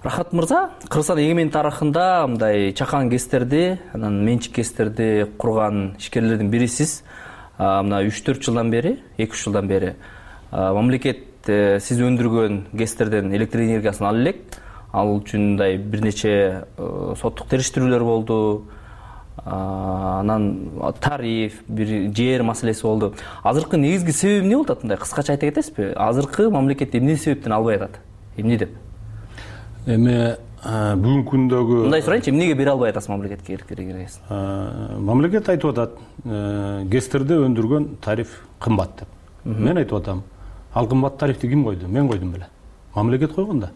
Рахат мырза, Кыргызстан эгемен тарыхында мындай чакан гэстерди, анан менчик гэстерди курган ишкерлердин бирисиз. Мына үч төрт жылдан бери, эки үч жылдан бери мамлекет сиз өндүргөн гэстерден электр энергиясын ала элек. Ал үчүн мындай бир нече соттук териштирүүлөр болду. Анан тариф, бир жер маселеси болду. Азыркы негизги себеби эмне болуп атат? Мындай кыскача айта кетесизби? Азыркы мамлекет эмне себептен албай атат? Эмне деп?
Эми бүгүнкү күндөгү
мындай сурайынчы, эмнеге бере албай атасыз мамлекетке электр энергиясын?
Мамлекет айтып атат, гэстерди өндүргөн тариф кымбат деп. Мен айтып атам, ал кымбат тарифти ким койду? Мен койдум беле. Мамлекет койгон да.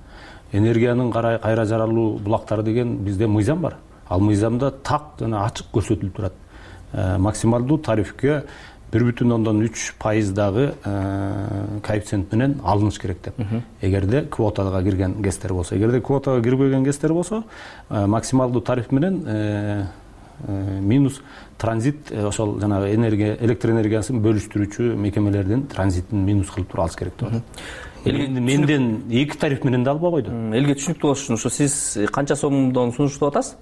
Энергиянын кайра жаралуу булактары деген бизде мыйзам бар. Ал мыйзамда так жана ачык көрсөтүлүп турат. Максималдуу тарифке бир бүтүн ондон үч пайыздагы коэффициент менен алыныш керек деп. Эгерде квотага кирген гэстер болсо, эгерде квотага кирбеген гэстер болсо, максималдуу тариф менен минус транзит, ошол жанагы энергия, электр энергиясын бөлүштүрүүчү мекемелердин транзитин минус кылып туруп алыш керек деп. Элге менден эки тариф менен да албай койду.
Элге түшүнүктүү болуш үчүн ошо сиз канча сомдон сунуштап атасыз?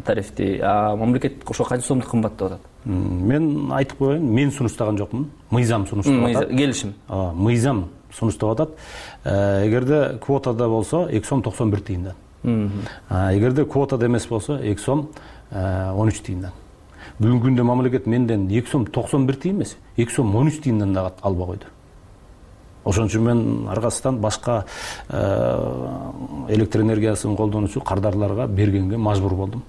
Тарифти, а мамлекет ошо канча сомду кымбаттап атат?
Мен айтып коеюн, мен сунуштаган жокмун. Мыйзам сунуштап атат.
Келишим.
Мыйзам сунуштап атат. Эгерде квотада болсо эки сом токсон бир тыйындан. Эгерде квотада эмес болсо эки сом он үч тыйындан. Бүгүнкү күндө мамлекет менден эки сом токсон бир тыйын эмес, эки сом он үч тыйындан да албай койду. Ошон үчүн мен аркасынан башка электр энергиясын колдонуучу кардарларга бергенге мажбур болдум.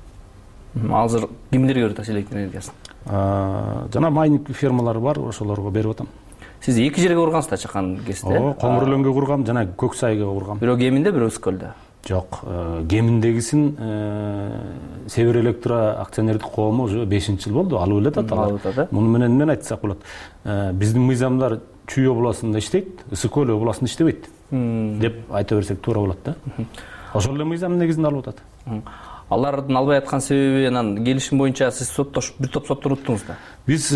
Азыр кимдерге берип атасыз электр энергиясын?
Жана майнинг фермалары бар, ошолорго берип атам.
Сиз эки жерге кургансыздар чакан гэсти?
Ооба, Коңур Өлөнгө кургам, жана Көк Сайга кургам.
Бирөө Кеминде, бирөө Ысык көлдө.
Жок, Кеминдегисин Север Электро акционердик коому уже бешинчи жыл болду, алып элетат алар. Муну менен мен айтсак болот. Биздин мыйзамдар Чүй областында иштейт, Ысык көл областында иштебейт. деп айта берсек туура болот да. Ошол эле мыйзамдын негизинде алып атат.
Алардын албай аткан себеби анан келишим боюнча сиз соттош бир топ соттор уттуңуз да.
Биз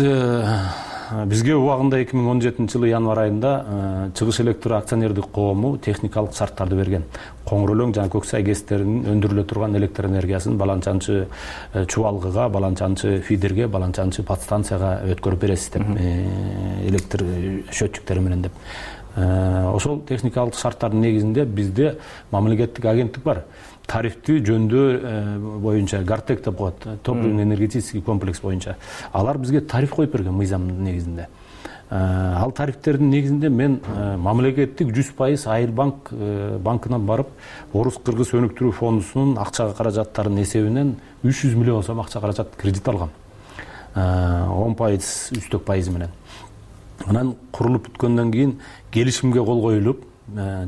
бизге убагында эки миң он жетинчи жылы январь айында Чыгыш электр акционердик коому техникалык шарттарды берген. Коңур өлөң жана Көк Сай ГЭСтеринин өндүрүлө турган электр энергиясын баланчанчы чубалгыга, баланчанчы фидерге, баланчанчы подстанцияга өткөрүп бересиз деп, электр счетчиктери менен деп. Ошол техникалык шарттардын негизинде бизде мамлекеттик агенттик бар. Тарифти жөндөө боюнча Гартек деп коет, топливно-энергетический комплекс боюнча. Алар бизге тариф коюп берген мыйзамдын негизинде. Ал тарифтердин негизинде мен мамлекеттик жүз пайыз Айылбанк банкынан барып, Орус Кыргыз өнүктүрүү фондунун акча каражаттарынын эсебинен үч жүз миллион сом акча каражат кредит алгам. он пайыз үстөк пайыз менен. Анан курулуп бүткөндөн кийин келишимге кол коюлуп,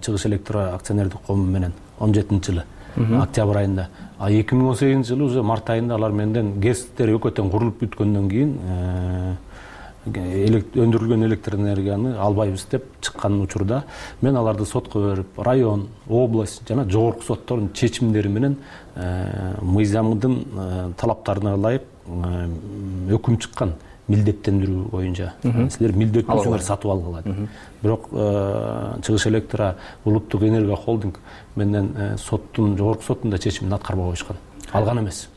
Чыгыш электр акционердик коому менен он жетинчи жылы октябрь айында. А эки миң он сегизинчи жылы уже март айында алар менден ГЭСтер өкөтөн курулуп бүткөндөн кийин өндүрүлгөн электр энергияны албайбыз деп чыккан учурда мен аларды сотко берип, район, область жана жогорку соттордун чечимдери менен мыйзамдын талаптарына ылайык өкүм чыккан. Милдеттендирүү боюнча. Силер милдеттүүсүңөр сатып алгыла. Бирок Чыгыш электр улуттук энергия холдинг менден соттун, жогорку соттун да чечимин аткарбай коюшкан. Алган эмес.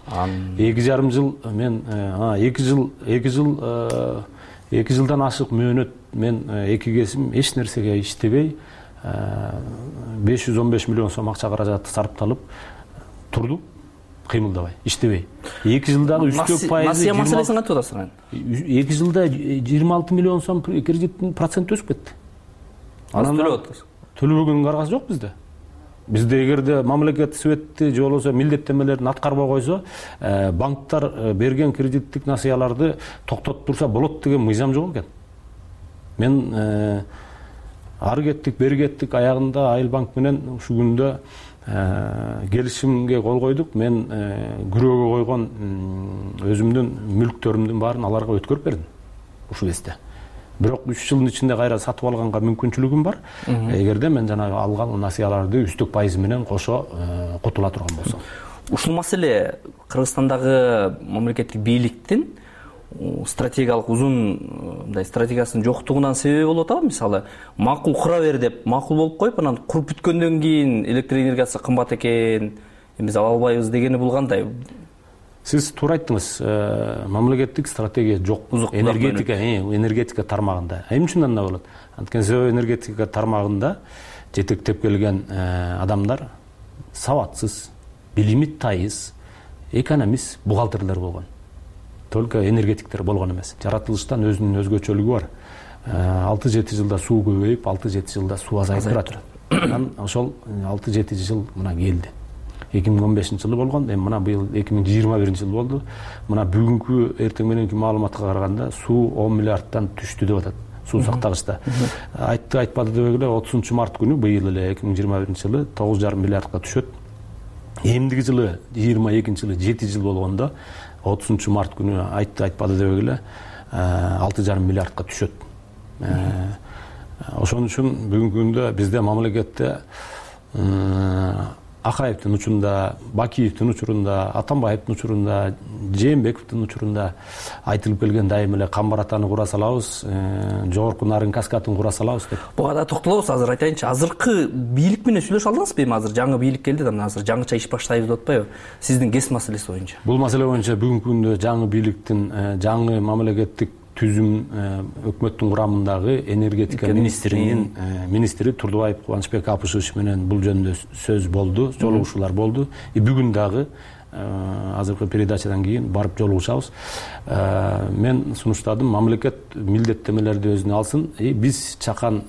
эки жарым жыл мен эки жыл эки жыл эки жылдан ашык мөөнөт мен эки кесим эч нерсеге иштебей беш жүз он беш миллион сом акча каражаты сарпталып турду. Кыймылдабай, иштебей. эки жылдагы үстөк пайызы
Насыя маселесин кантип атасыздар?
эки жылда жыйырма алты миллион сом кредиттин проценти өсүп кетти.
Анан төлөп атасыз.
Төлөбөгөнгө аргасы жок бизде. Бизде эгерде мамлекет светти же болбосо милдеттенмелерин аткарбай койсо, банктар берген кредиттик насыяларды токтотуп турса болот деген мыйзам жок экен. Мен ары кеттик, бери кеттик, аягында Айылбанк менен ушул күндө келишимге кол койдук. Мен күрөөгө койгон өзүмдүн мүлктөрүмдүн баарын аларга өткөрүп бердим ушул кезде. Бирок үч жылдын ичинде кайра сатып алганга мүмкүнчүлүгүм бар. Эгерде мен жанагы алган насыяларды үстөк пайыз менен кошо кутула турган болсом.
Ушул маселе Кыргызстандагы мамлекеттик бийликтин стратегиялык uzun мындай стратегиясынын жоктугунан себеби болуп атабы? Мисалы, макул кура бер деп макул болуп коюп, анан куруп бүткөндөн кийин электр энергиясы кымбат экен, биз ала албайбыз дегени бул кандай?
Сиз туура айттыңыз. Мамлекеттик стратегия жок. Энергетика, энергетика тармагында. Эмне үчүн андай болот? Анткени себеби энергетика тармагында жетектеп келген адамдар сабатсыз, билими тайыз, экономист, бухгалтерлер болгон. Только энергетиктер болгон эмес. Жаратылыштан өзүнүн өзгөчөлүгү бар. алты жети жылда суу көбөйүп, алты жети жылда суу азайып турат. Анан ошол алты жети жыл мына келди. эки миң он бешинчи жылы болгон, эми мына быйыл эки миң жыйырма биринчи жыл болду. Мына бүгүнкү эртең мененки маалыматка караганда суу он миллиардтан түштү деп атат. Суу сактагычта. Айтты, айтпады дебек эле отузунчу март күнү быйыл эле эки миң жыйырма биринчи жылы тогуз жарым миллиардка түшөт. Эмдиги жылы жыйырма экинчи жылы жети жыл болгондо отузунчу март күнү айтты, айтпады дебек эле алты жарым миллиардка түшөт. Ошон үчүн бүгүнкү күндө бизде мамлекетте Акаевдин учурунда, Бакиевдин учурунда, Атамбаевдин учурунда, Жээнбековдун учурунда айтылып келген дайым эле Камбаратаны кура салабыз, жогорку Нарын каскадын кура салабыз деп.
Буга да токтолобуз. Азыр айтайынчы, азыркы бийлик менен сүйлөшө алдыңызбы? Эми азыр жаңы бийлик келди да, азыр жаңыча иш баштайбыз деп атпайбы? Сиздин ГЭС маселеси боюнча.
Бул маселе боюнча бүгүнкү күндө жаңы бийликтин, жаңы мамлекеттик түзүм өкмөттүн курамындагы энергетика министринин министри Турдубаев Кубанычбек Апышевич менен бул жөнүндө сөз болду, жолугушуулар болду. И бүгүн дагы азыркы передачадан кийин барып жолугушабыз. Мен сунуштадым, мамлекет милдеттемелерди өзүнө алсын. И биз чакан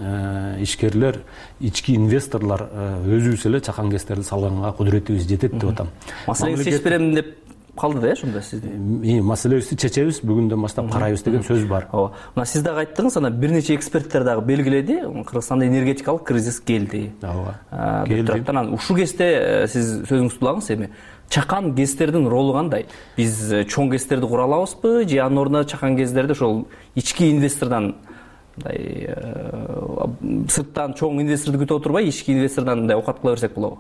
ишкерлер, ички инвесторлор өзүбүз эле чакан ГЭСтерди салганга кудуретибиз жетет деп атам.
Маселени чечип берем деп калды да, э, ошондо сиздин.
Маселебизди чечебиз, бүгүндөн баштап карайбыз деген сөз бар.
Ооба. Мына сиз дагы айттыңыз, анан бир нече эксперттер дагы белгиледи, Кыргызстанда энергетикалык кризис келди.
Ооба.
Келди. Анан ушул кезде сиз сөзүңүздү улагыңыз, эми чакан ГЭСтердин ролу кандай? Биз чоң ГЭСтерди кура алабызбы же анын ордуна чакан ГЭСтерди ошол ички инвестордон мындай сырттан чоң инвесторду күтүп отурбай ички инвестордон мындай окат кыла берсек болобу?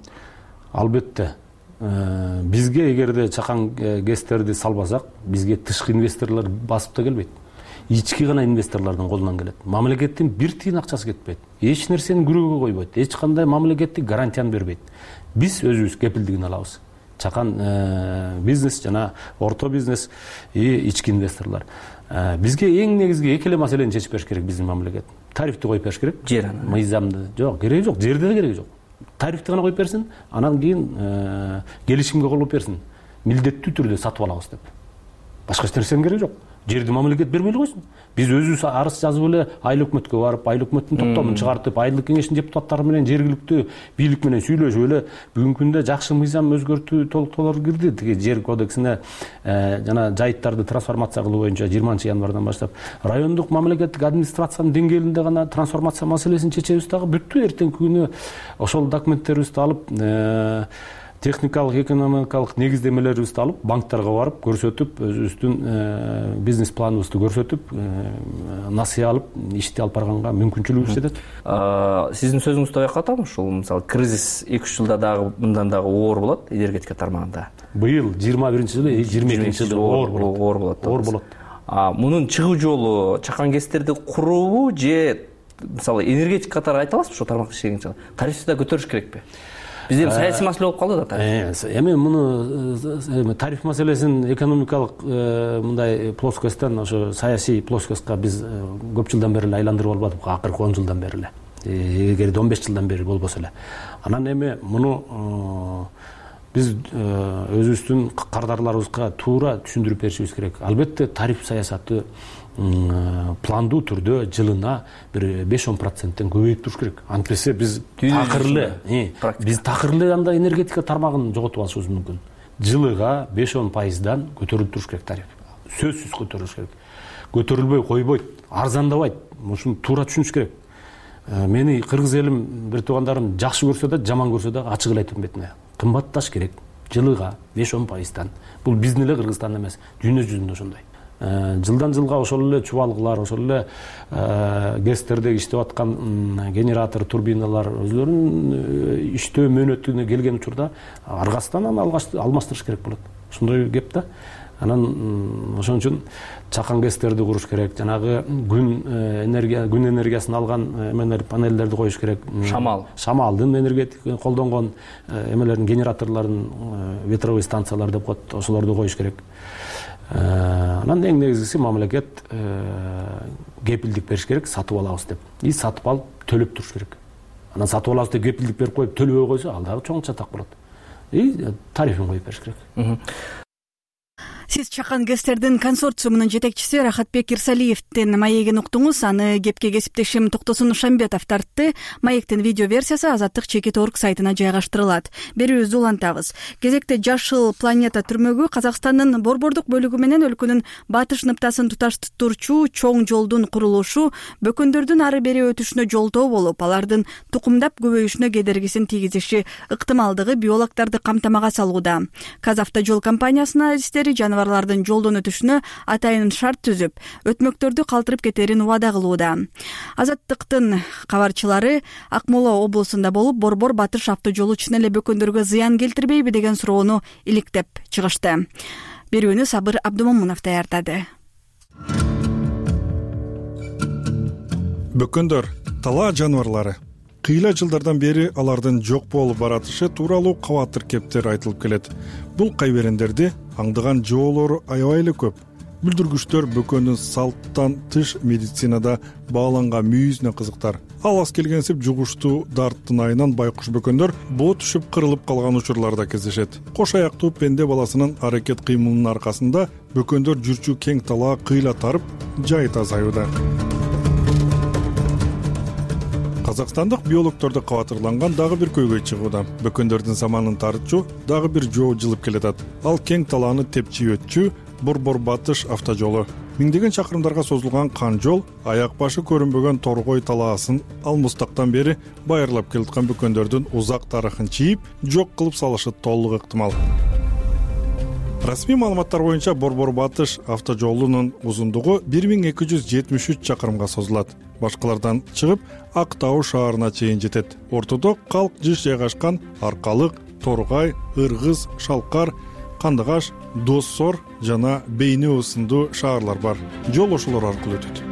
Албетте. Бизге эгерде чакан гэстерди салбасак, бизге тышкы инвесторлор басып да келбейт. Ички гана инвесторлордун колунан келет. Мамлекеттин бир тиын акчасы кетпейт. Эч нерсени күрөөгө койбойт. Эч кандай мамлекеттик гарантияны бербейт. Биз өзүбүз кепилдигин алабыз. Чакан бизнес жана орто бизнес и ички инвесторлор. Бизге эң негизги эки эле маселени чечип бериш керек биздин мамлекет. Тарифти коюп бериш керек.
Жер
мыйзамды. Жок, кереги жок, жерде да кереги жок. Тарифти гана коюп берсин, анан кийин келишимге кол алып берсин. Милдеттүү түрдө сатып алабыз деп. Башка эч нерсенин кереги жок. Жерди мамлекет бермей эле койсун. Биз өзүбүз арыз жазып эле айыл өкмөткө барып, айыл өкмөттүн топтомун чыгартып, айылдык кеңештин депутаттары менен жергиликтүү бийлик менен сүйлөшүп эле бүгүнкү күндө жакшы мыйзам өзгөртүү толуктоолор кирди. Тиги жер кодексине жана жайыттарды трансформация кылуу боюнча жыйырманчы январдан баштап райондук мамлекеттик администрациянын деңгээлинде гана трансформация маселесин чечебиз дагы бүттү. Эртеңки күнү ошол документтерибизди алып техникалык, экономикалык негиздемелерибизди алып, банктарга барып көрсөтүп, өзүбүздүн бизнес планыбызды көрсөтүп, насыя алып, ишти алып барганга мүмкүнчүлүгүбүз жетет.
Сиздин сөзүңүздү байкап атам, ушул мисалы кризис эки үч жылда дагы мындан дагы оор болот энергетика тармагында.
Быйыл жыйырма биринчи жылы, жыйырма экинчи жылы оор болот.
Оор болот.
Оор болот.
Мунун чыгуу жолу чакан гэстерди куруубу же мисалы энергетика катары айта аласызбы ошол тармакта иштеген? Тарифти да көтөрүш керекпи? Бизде саясий маселе болуп калды да тариф.
Эми муну тариф маселесин экономикалык мындай плоскостьтан ошо саясий плоскостька биз көп жылдан бери эле айландырып албадык, акыркы он жылдан бери эле. Эгерде он беш жылдан бери болбосо эле. Анан эми муну биз өзүбүздүн кардарларыбызга туура түшүндүрүп беришибиз керек. Албетте тариф саясаты пландуу түрдө жылына бир беш он проценттен көбөйүп туруш керек. Антпесе биз такырлы, биз такырлы анда энергетика тармагын жоготуп алышыбыз мүмкүн. Жылыга беш он пайыздан көтөрүлүп туруш керек тариф. Сөзсүз көтөрүлүш керек. Көтөрүлбөй койбойт, арзандабайт. Мушуну туура түшүнүш керек. Мени кыргыз элим, бир туугандарым жакшы көрсө да, жаман көрсө да ачык эле айтам бетине. Кымбатташ керек. Жылыга беш он пайыздан. Бул биздин эле Кыргызстанда эмес, дүйнө жүзүндө ошондой. Жылдан жылга ошол эле чубалгылар, ошол эле гэстердеги иштеп аткан генератор, турбиналар өзлөрүнүн иштөө мөөнөтүнө келген учурда аргасынан аны алмаштырыш керек болот. Ошондой кеп да. Анан ошон үчүн чакан гэстерди куруш керек, жанагы күн энергия, күн энергиясын алган эмелер, панелдерди коюш керек.
Шамал.
Шамалдын энергетик колдонгон эмелердин, генераторлордун, ветровой станциялар деп коет, ошолорду коюш керек. Анан эң негизгиси мамлекет кепилдик бериш керек, сатып алабыз деп. И сатып алып төлөп туруш керек. Анан сатып алабыз деп кепилдик берип коюп төлөбөй койсо, ал дагы чоң чатак болот. И тарифин коюп бериш керек.
Сиз чакан гэстердин консорциумунун жетекчиси Рахатбек Ирсалиевдин маегин уктуңуз. Аны кепке кесиптешим Токтосун Шамбетов тартты. Маектин видео версиясы Азаттык чекит точка орг сайтына жайгаштырылат. Берүүбүздү улантабыз. Кезекте Жашыл планета түрмөгү Казакстандын борбордук бөлүгү менен өлкөнүн батыш ныктасын туташтырчу чоң жолдун курулушу бөкөндөрдүн ары бери өтүшүнө жолтоо болуп, алардын тукумдап көбөйүшүнө кедергисин тийгизиши ыктымалдыгы биологдорду камтамага салууда. Казавтожол компаниясынын адистери жаныбарлардын жолдон өтүшүнө атайын шарт түзүп, өтмөктөрдү калтырып кетерин убада кылууда. Азаттыктын кабарчылары Акмола облусунда болуп, борбор батыш автожолу чын эле бөкөндөргө зыян келтирбейби деген суроону иликтеп чыгышты. Берүүнү Сабыр Абдумомунов даярдады.
Бөкөндөр талаа жаныбарлары. Кыйла жылдардан бери алардын жок болуп баратышы тууралуу кабатыр кептер айтылып келет. Бул кайберендерди аңдыган жоолору аябай эле көп. Бүлдүргүчтөр бөкөндүн салттан тыш медицинада бааланган мүйүзүнө кызыктар. Ал аз келгенсип жугуштуу дарттын айынан байкуш бөкөндөр боо түшүп кырылып калган учурларда кездешет. Кош аяктуу пенде баласынын аракет кыймылынын аркасында бөкөндөр жүрчү кең талаа кыйла тарып, жайыт азаюуда. Казакстандык биологдорду кабатырланган дагы бир көйгөй чыгууда. Бөкөндөрдүн заманын тартчу дагы бир жоо жылып келатат. Ал кең талааны тепчи өтчү Борбор батыш автожолу. Миңдеген чакырымдарга созулган кан жол аяк башы көрүнбөгөн Торгой талаасын ал мустактан бери байырлап келаткан бөкөндөрдүн узак тарыхын чийип, жок кылып салышы толук ыктымал. Расмий маалыматтар боюнча Борбор батыш автожолунун узундугу бир миң эки жүз жетимиш үч чакырымга созулат. башкалардан чыгып Ак Тау шаарына чейин жетет. Ортодо калк жыш жайгашкан Аркалык, Торгай, Ыргыз, Шалкар, Кандыгаш, Доссор жана Бейнеу сындуу шаарлар бар. Жол ошолор аркылуу өтөт.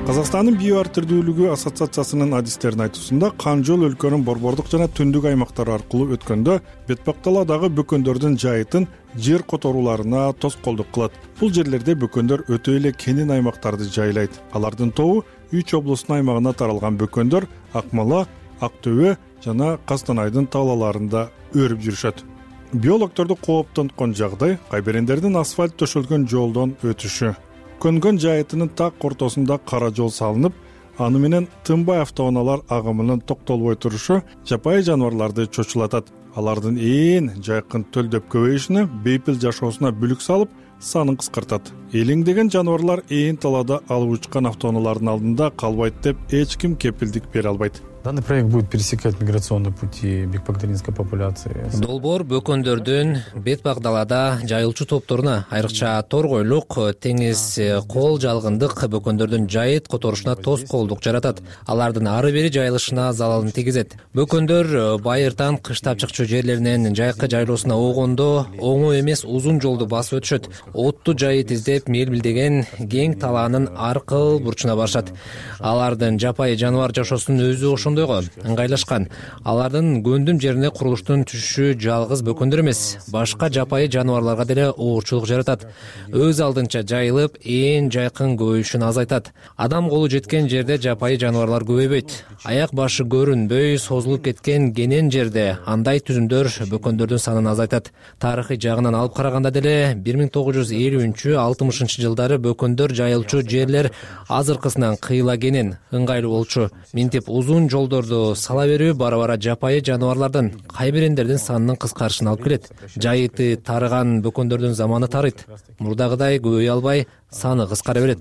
Казакстандын био ар түрдүүлүгү ассоциациясынын адистеринин айтуусунда кан жол өлкөнүн борбордук жана түндүк аймактары аркылуу өткөндө бетпакталадагы бөкөндөрдүн жайытын жер которууларына тоскоолдук кылат. Бул жерлерде бөкөндөр өтө эле кенен аймактарды жайлайт. Алардын тобу үч облустун аймагына таралган бөкөндөр Акмола, Ак Төбө жана Кастанайдын талааларында өрүп жүрүшөт. Биологторду кооптонткон жагдай кайберендердин асфальт төшөлгөн жолдон өтүшү. Көнгөн жайытынын так ортосунда кара жол салынып, аны менен тынбай автоунаалар агымынын токтолбой турушу жапайы жаныбарларды чочулатат. Алардын ээн жайкын төлдөп көбөйүшүнө, бейпил жашоосуна бүлүк салып, санын кыскартат. Элеңдеген жаныбарлар ээн талаада алып учкан автоунаалардын алдында калбайт деп эч ким кепилдик бере албайт.
Данный проект будет пересекать миграционные пути бекбагдалинской популяции.
Долбоор бөкөндөрдүн бетпак далада жайылчу топторуна, айрыкча торгойлук, теңиз кол жалгындык бөкөндөрдүн жайыт которушуна тоскоолдук жаратат. Алардын ары бери жайылышына залалын тийгизет. Бөкөндөр байыртан кыш тапчыкчу жерлеринен жайкы жайлоосуна огондо оңой эмес узун жолду басып өтүшөт. Отту жайыт издеп мелбилдеген кең талаанын аркыл бурчуна барышат. Алардын жапайы жаныбар жашоосунун өзү ошондойго ыңгайлашкан. Алардын көндүм жерине курулуштун түшүшү жалгыз бөкөндөр эмес, башка жапайы жаныбарларга деле оорчулук жаратат. Өз алдынча жайылып, ээн жайкын көбөйүшүн азайтат. Адам колу жеткен жерде жапайы жаныбарлар көбөйбөйт. Аяк башы көрүнбөй созулуп кеткен кенен жерде андай түзүмдөр бөкөндөрдүн санын азайтат. Тарыхый жагынан алып караганда деле бир миң тогуз жүз элүүнчү алтымышынчы жылдары бөкөндөр жайылчу жерлер азыркысынан кыйла кенен, ыңгайлуу болчу. Минтип узун жолдорду сала берүү бара-бара жапайы жаныбарлардын, кайберендердин санынын кыскарышына алып келет. Жайыты тарыган бөкөндөрдүн заманы тарыйт. Мурдагыдай көбөйө албай, саны кыскара берет.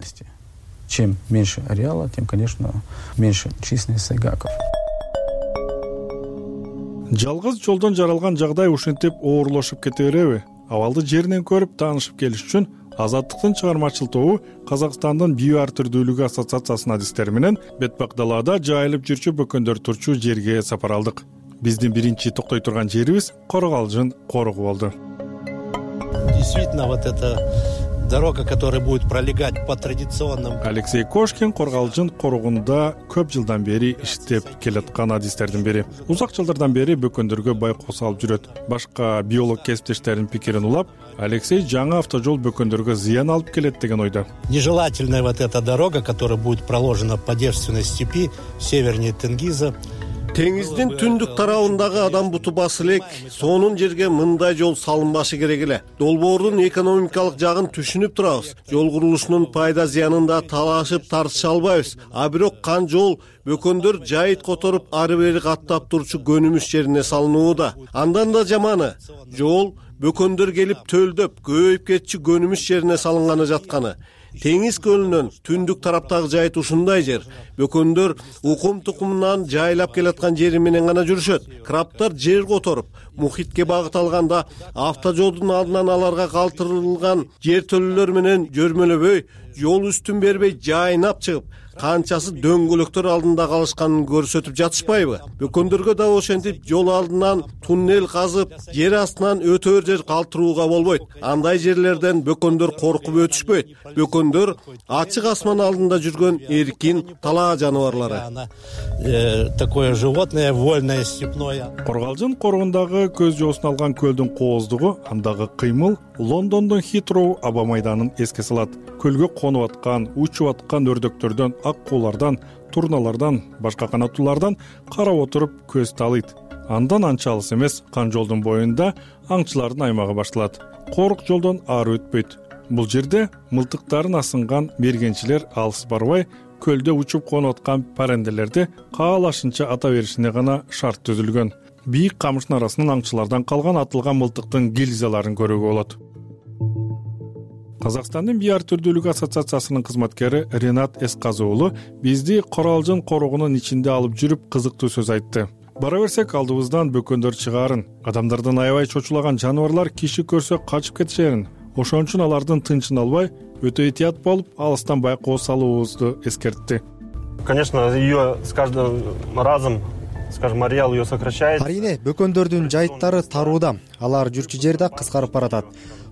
Чем меньше ареала, тем, конечно, меньше численность сайгаков.
Жалгыз жолдон жаралган жагдай ушинтип оорлошуп кете береби? Абалды жеринен көрүп таанышып келиш үчүн Азаттыктын чыгармачыл тобу Казакстандын био ар түрдүүлүгү ассоциациясынын адистери менен бетпак далаада жайылып жүрчү бөкөндөр турчу жерге сапар алдык. Биздин биринчи токтой турган жерибиз Коргалжын коругу болду.
Действительно, вот это дорога, которая будет пролегать по традиционным.
Алексей Кошкин Коргалжын коругунда көп жылдан бери иштеп келаткан адистердин бири. Узак жылдардан бери бөкөндөргө байкоо салып жүрөт. Башка биолог кесиптештеринин пикирин улап, Алексей жаңы автожол бөкөндөргө зыян алып келет деген ойдо.
Нежелательная вот эта дорога, которая будет проложена по девственной степи севернее Тенгиза.
Теңиздин түндүк тарабындагы адам буту басы элек, сонун жерге мындай жол салынбашы керек эле. Долбоордун экономикалык жагын түшүнүп турабыз. Жол курулушунун пайда зыянында талашып тартыша албайбыз. А бирок кан жол бөкөндөр жайыт которуп ары бери каттап турчу көнүмүш жерине салынууда. Андан да жаманы, жол бөкөндөр келип төлдөп, көбөйүп кетчү көнүмүш жерине салынганы жатканы. Теңиз көлүнөн түндүк тараптагы жайыт ушундай жер. Бөкөндөр укум тукумунан жайлап келаткан жери менен гана жүрүшөт. Крабтар жер которуп, мухитке багыт алганда автожолдун алдынан аларга калтырылган жер төлөлөр менен жөрмөлөбөй, жол үстүн бербей жайнап чыгып, канчасы дөңгөлөктөр алдында калышканын көрсөтүп жатышпайбы? Бөкөндөргө да ошентип жол алдынан туннел казып, жер астынан өтөр жер калтырууга болбойт. Андай жерлерден бөкөндөр коркуп өтүшпөйт. Бөкөндөр ачык асман алдында жүргөн эркин талаа жаныбарлары.
Такое животное вольное степное.
Коргалжын коругундагы көз жоосун алган көлдүн кооздугу, андагы кыймыл Лондондун Хитроу аба майданын эске салат. Көлгө конуп аткан, учуп аткан өрдөктөрдөн, ак куулардан, турналардан, башка канаттуулардан карап отуруп көз таалыйт. Андан анча алыс эмес кан жолдун боюнда аңчылардын аймагы башталат. Корук жолдон ары өтпөйт. Бул жерде мылтыктарын асынган мергенчилер алыс барбай, көлдө учуп конуп аткан паренделерди каалашынча ата беришине гана шарт түзүлгөн. Бийик камыштын арасынан аңчылардан калган атылган мылтыктын гильзаларын көрүүгө болот. Казакстандын био ар түрдүүлүгү ассоциациясынын кызматкери Ренат Эсказы уулу бизди Коралжын коругунун ичинде алып жүрүп кызыктуу сөз айтты. Бара берсек алдыбыздан бөкөндөр чыгаарын, адамдардан аябай чочулаган жаныбарлар киши көрсө качып кетишерин, ошон үчүн алардын тынчын албай өтө этият болуп алыстан байкоо салуубузду эскертти.
Конечно, ее с каждым разом, скажем, ареал ее сокращает.
Арийне бөкөндөрдүн жайыттары тарууда, алар жүрчү жери да кыскарып баратат.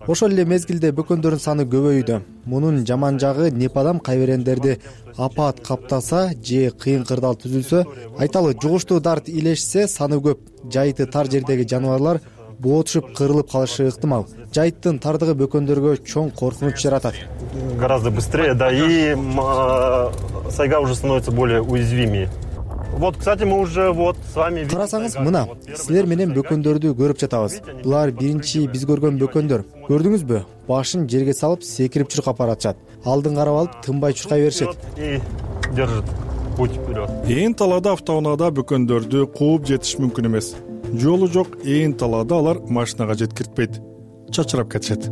Ошол эле мезгилде бөкөндөрдүн саны көбөйүүдө. Мунун жаман жагы непадам кайберендерди апаат каптаса же кыйын кырдаал түзүлсө, айталы жугуштуу дарт илешсе саны көп, жайыты тар жердеги жаныбарлар боо түшүп кырылып калышы ыктымал. Жайыттын тардыгы бөкөндөргө чоң коркунуч жаратат.
Гораздо быстрее, да, и сайга уже становится более уязвимее. Вот, кстати, мы уже вот с вами видим.
Карасаңыз, мына, силер менен бөкөндөрдү көрүп жатабыз. Булар биринчи биз көргөн бөкөндөр. Көрдүңүзбү? Башын жерге салып, секирип чуркап баратышат. Алдын карап алып, тынбай чуркай беришет.
И держит путь вперед.
Ээн талаада автоунаада бөкөндөрдү кууп жетиш мүмкүн эмес. Жолу жок ээн талаада алар машинага жеткиртпейт. Чачырап кетишет.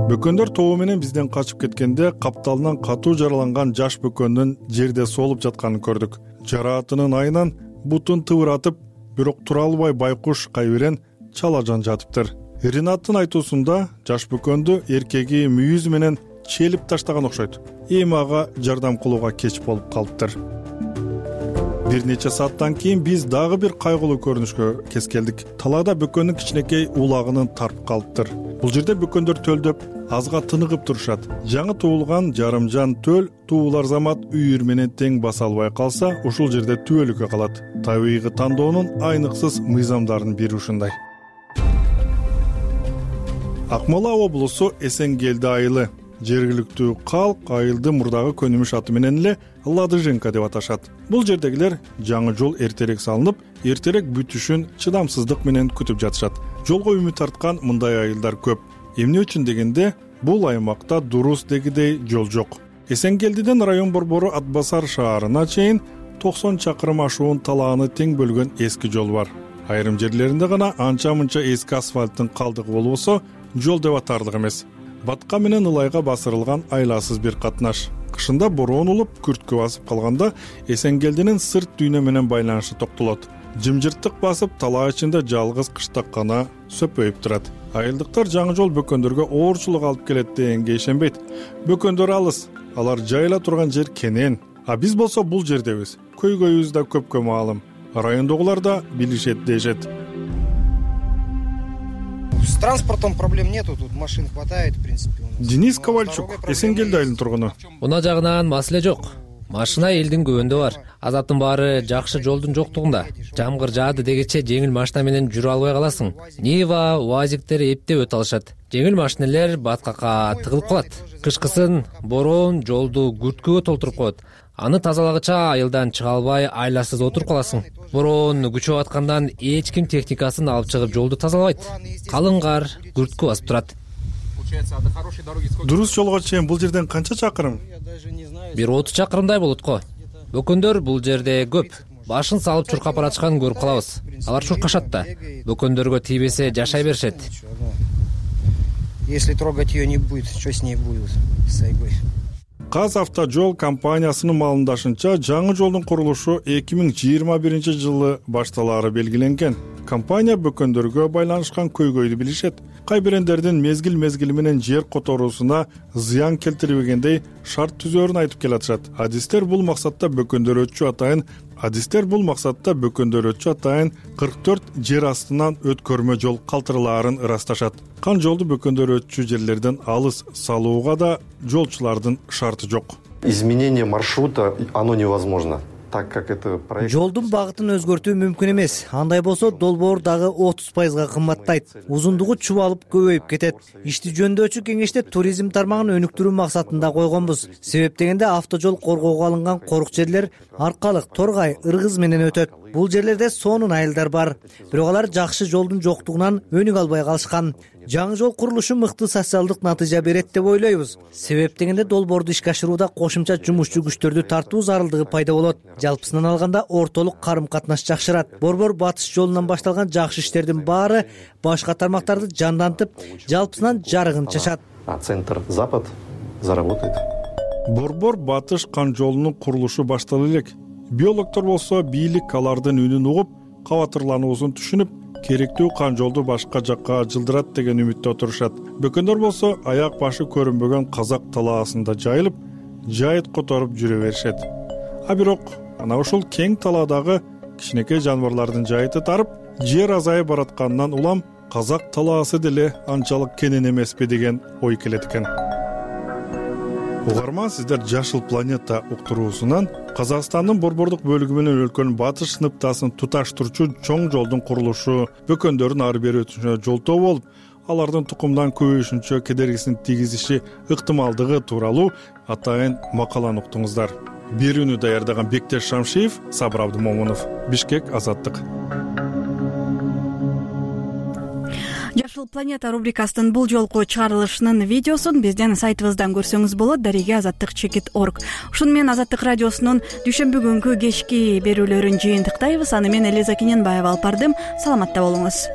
Бөкөндөр тобу менен бизден качып кеткенде капталынан катуу жараланган жаш бөкөндүн жерде солуп жатканын көрдүк. Жараатынын айынан бутун тыбыратып, бирок тура албай байкуш кайберен чалажан жатыптыр. Ринаттын айтуусунда жаш бөкөндү эркеги мүйүз менен челип таштаган окшойт. Эми ага жардам кылууга кеч болуп калыптыр. Бир нече сааттан кийин биз дагы бир кайгылуу көрүнүшкө кез келдик. Талаада бөкөндүн кичинекей улагынын тарып калыптыр. Бул жерде бөкөндөр төлдөп, азга тыныгып турушат. Жаңы туулган жарымжан төл туулар замат үйүр менен тең баса албай калса, ушул жерде түбөлүккө калат. Табигый тандоонун айныксыз мыйзамдарынын бири ушундай. Акмола облусу Эсенгелди айылы. Жергиликтүү калк айылды мурдагы көнүмүш аты менен эле Ладыженка деп аташат. Бул жердегилер жаңы жол эртерээк салынып, эртерээк бүтүшүн чыдамсыздык менен күтүп жатышат. Жолго үмүт арткан мындай айылдар көп. Эмне үчүн дегенде, бул аймакта дурус дегидей жол жок. Эсенгелдиден район борбору Ат Басар шаарына чейин токсон чакырым ашуун талааны тең бөлгөн эски жол бар. Айрым жерлеринде гана анча-мынча эски асфальттын калдыгы болбосо, жол деп атарлык эмес. Батка менен ылайга басырылган айласыз бир катнаш. Кышында бороон улуп, күрткө басып калганда Эсенгелдинин сырт дүйнө менен байланышы токтолот. Жымжырттык басып, талаа ичинде жалгыз кыштак гана сөпөйүп турат. Айылдыктар жаңы жол бөкөндөргө оорчулук алып келет дегенге ишенбейт. Бөкөндөр алыс, алар жайыла турган жер кенен. А биз болсо бул жердебиз. Көйгөйүбүз да көпкө маалым. Райондогулар да билишет дешет.
С транспортом проблем нету, тут машин хватает, в принципе.
Денис Ковальчук, Эсенгелди айылынын тургуну.
Унаа жагынан маселе жок. Машина элдин көбүндө бар. Азаптын баары жакшы жолдун жоктугунда. Жамгыр жаады дегече жеңил машина менен жүрө албай каласың. Нива, УАЗиктер эптеп өтө алышат. Жеңил машинелер баткакка тыгылып калат. Кышкысын бороон жолду күрткөгө толтуруп коет. Аны тазалагыча айылдан чыга албай айласыз отуруп каласың. Бороон күчөп аткандан эч ким техникасын алып чыгып жолду тазалабайт. Калың кар күрткө басып турат.
Дурус жолго чейин бул жерден канча чакырым?
Бир отуз чакырымдай болот го. Бөкөндөр бул жерде көп. Башын салып чуркап баратышканын көрүп калабыз. Алар чуркашат да. Бөкөндөргө тийбесе жашай беришет.
Если трогать ее не будет, что с ней будет с Сайгой?
Казавтожол компаниясынын маалымдашынча, жаңы жолдун курулушу эки миң жыйырма биринчи жылы башталаары белгиленген. Компания бөкөндөргө байланышкан көйгөйдү билишет. Кайберендердин мезгил-мезгили менен жер которуусуна зыян келтирбегендей шарт түзөөрүн айтып келатышат. Адистер бул максатта бөкөндөр өтчү атайын Адистер бул максатта бөкөндөр өтчү атайын кырк төрт жер астынан өткөрмө жол калтырылаарын ырасташат. Кан жолду бөкөндөр өтчү жерлерден алыс салууга да жолчулардын шарты жок.
Изменение маршрута оно невозможно. Так как это проект.
Жолдун багытын өзгөртүү мүмкүн эмес. Андай болсо долбоор дагы отуз пайызга кымбаттайт. Узундугу чубалып көбөйүп кетет. Ишти жөндөчү кеңеште туризм тармагын өнүктүрүү максатында койгонбуз. Себеп дегенде автожол коргоого алынган корук жерлер Аркалык, Торгай, Ыргыз менен өтөт. Бул жерлерде сонун айылдар бар. Бирок алар жакшы жолдун жоктугунан өнүк албай калышкан. Жаңы жол курулушу мыкты социалдык натыйжа берет деп ойлойбуз. Себеп дегенде долбоорду ишке ашырууда кошумча жумушчу күчтөрдү тартуу зарылдыгы пайда болот. Жалпысынан алганда ортолук карым-катнаш жакшырат. Борбор батыш жолунан башталган жакшы иштердин баары башка тармактарды жандантып, жалпысынан жарыгын чачат.
А центр Запад заработает.
Борбор батыш кан жолунун курулушу баштала элек. Биологдор болсо бийлик алардын үнүн угуп, кабатырлануусун түшүнүп, керектүү кан жолду башка жакка жылдырат деген үмүттө отурушат. Бөкөндөр болсо аяк башы көрүнбөгөн казак талаасында жайылып, жайыт которуп жүрө беришет. А бирок ана ушул кең талаадагы кичинекей жаныбарлардын жайыты тарып, жер азайып баратканынан улам казак талаасы деле анчалык кенен эмеспи деген ой келет экен. Угарман, сиздер Жашыл планета уктуруусунан Казакстандын борбордук бөлүгү менен өлкөнүн батыш сыныптасын туташтырчу чоң жолдун курулушу, бөкөндөрдүн ары бери өтүшүнө жолтоо болуп, алардын тукумдан көбөйүшүнчө кедергисин тийгизиши ыктымалдыгы тууралуу атайын макаланы уктуңуздар. Берүүнү даярдаган Бектеш Шамшиев, Сабыр Абдымомунов, Бишкек, Азаттык.
Жашыл планета рубрикасынын бул жолку чыгарылышынын видеосун биздин сайтыбыздан көрсөңүз болот, дареге азаттык чекит орг. Ушуну менен Азаттык радиосунун дүйшөмбү күнкү кечки берүүлөрүн жыйынтыктайбыз. Аны мен Элиза Кененбаева алып бардым. Саламатта болуңуз.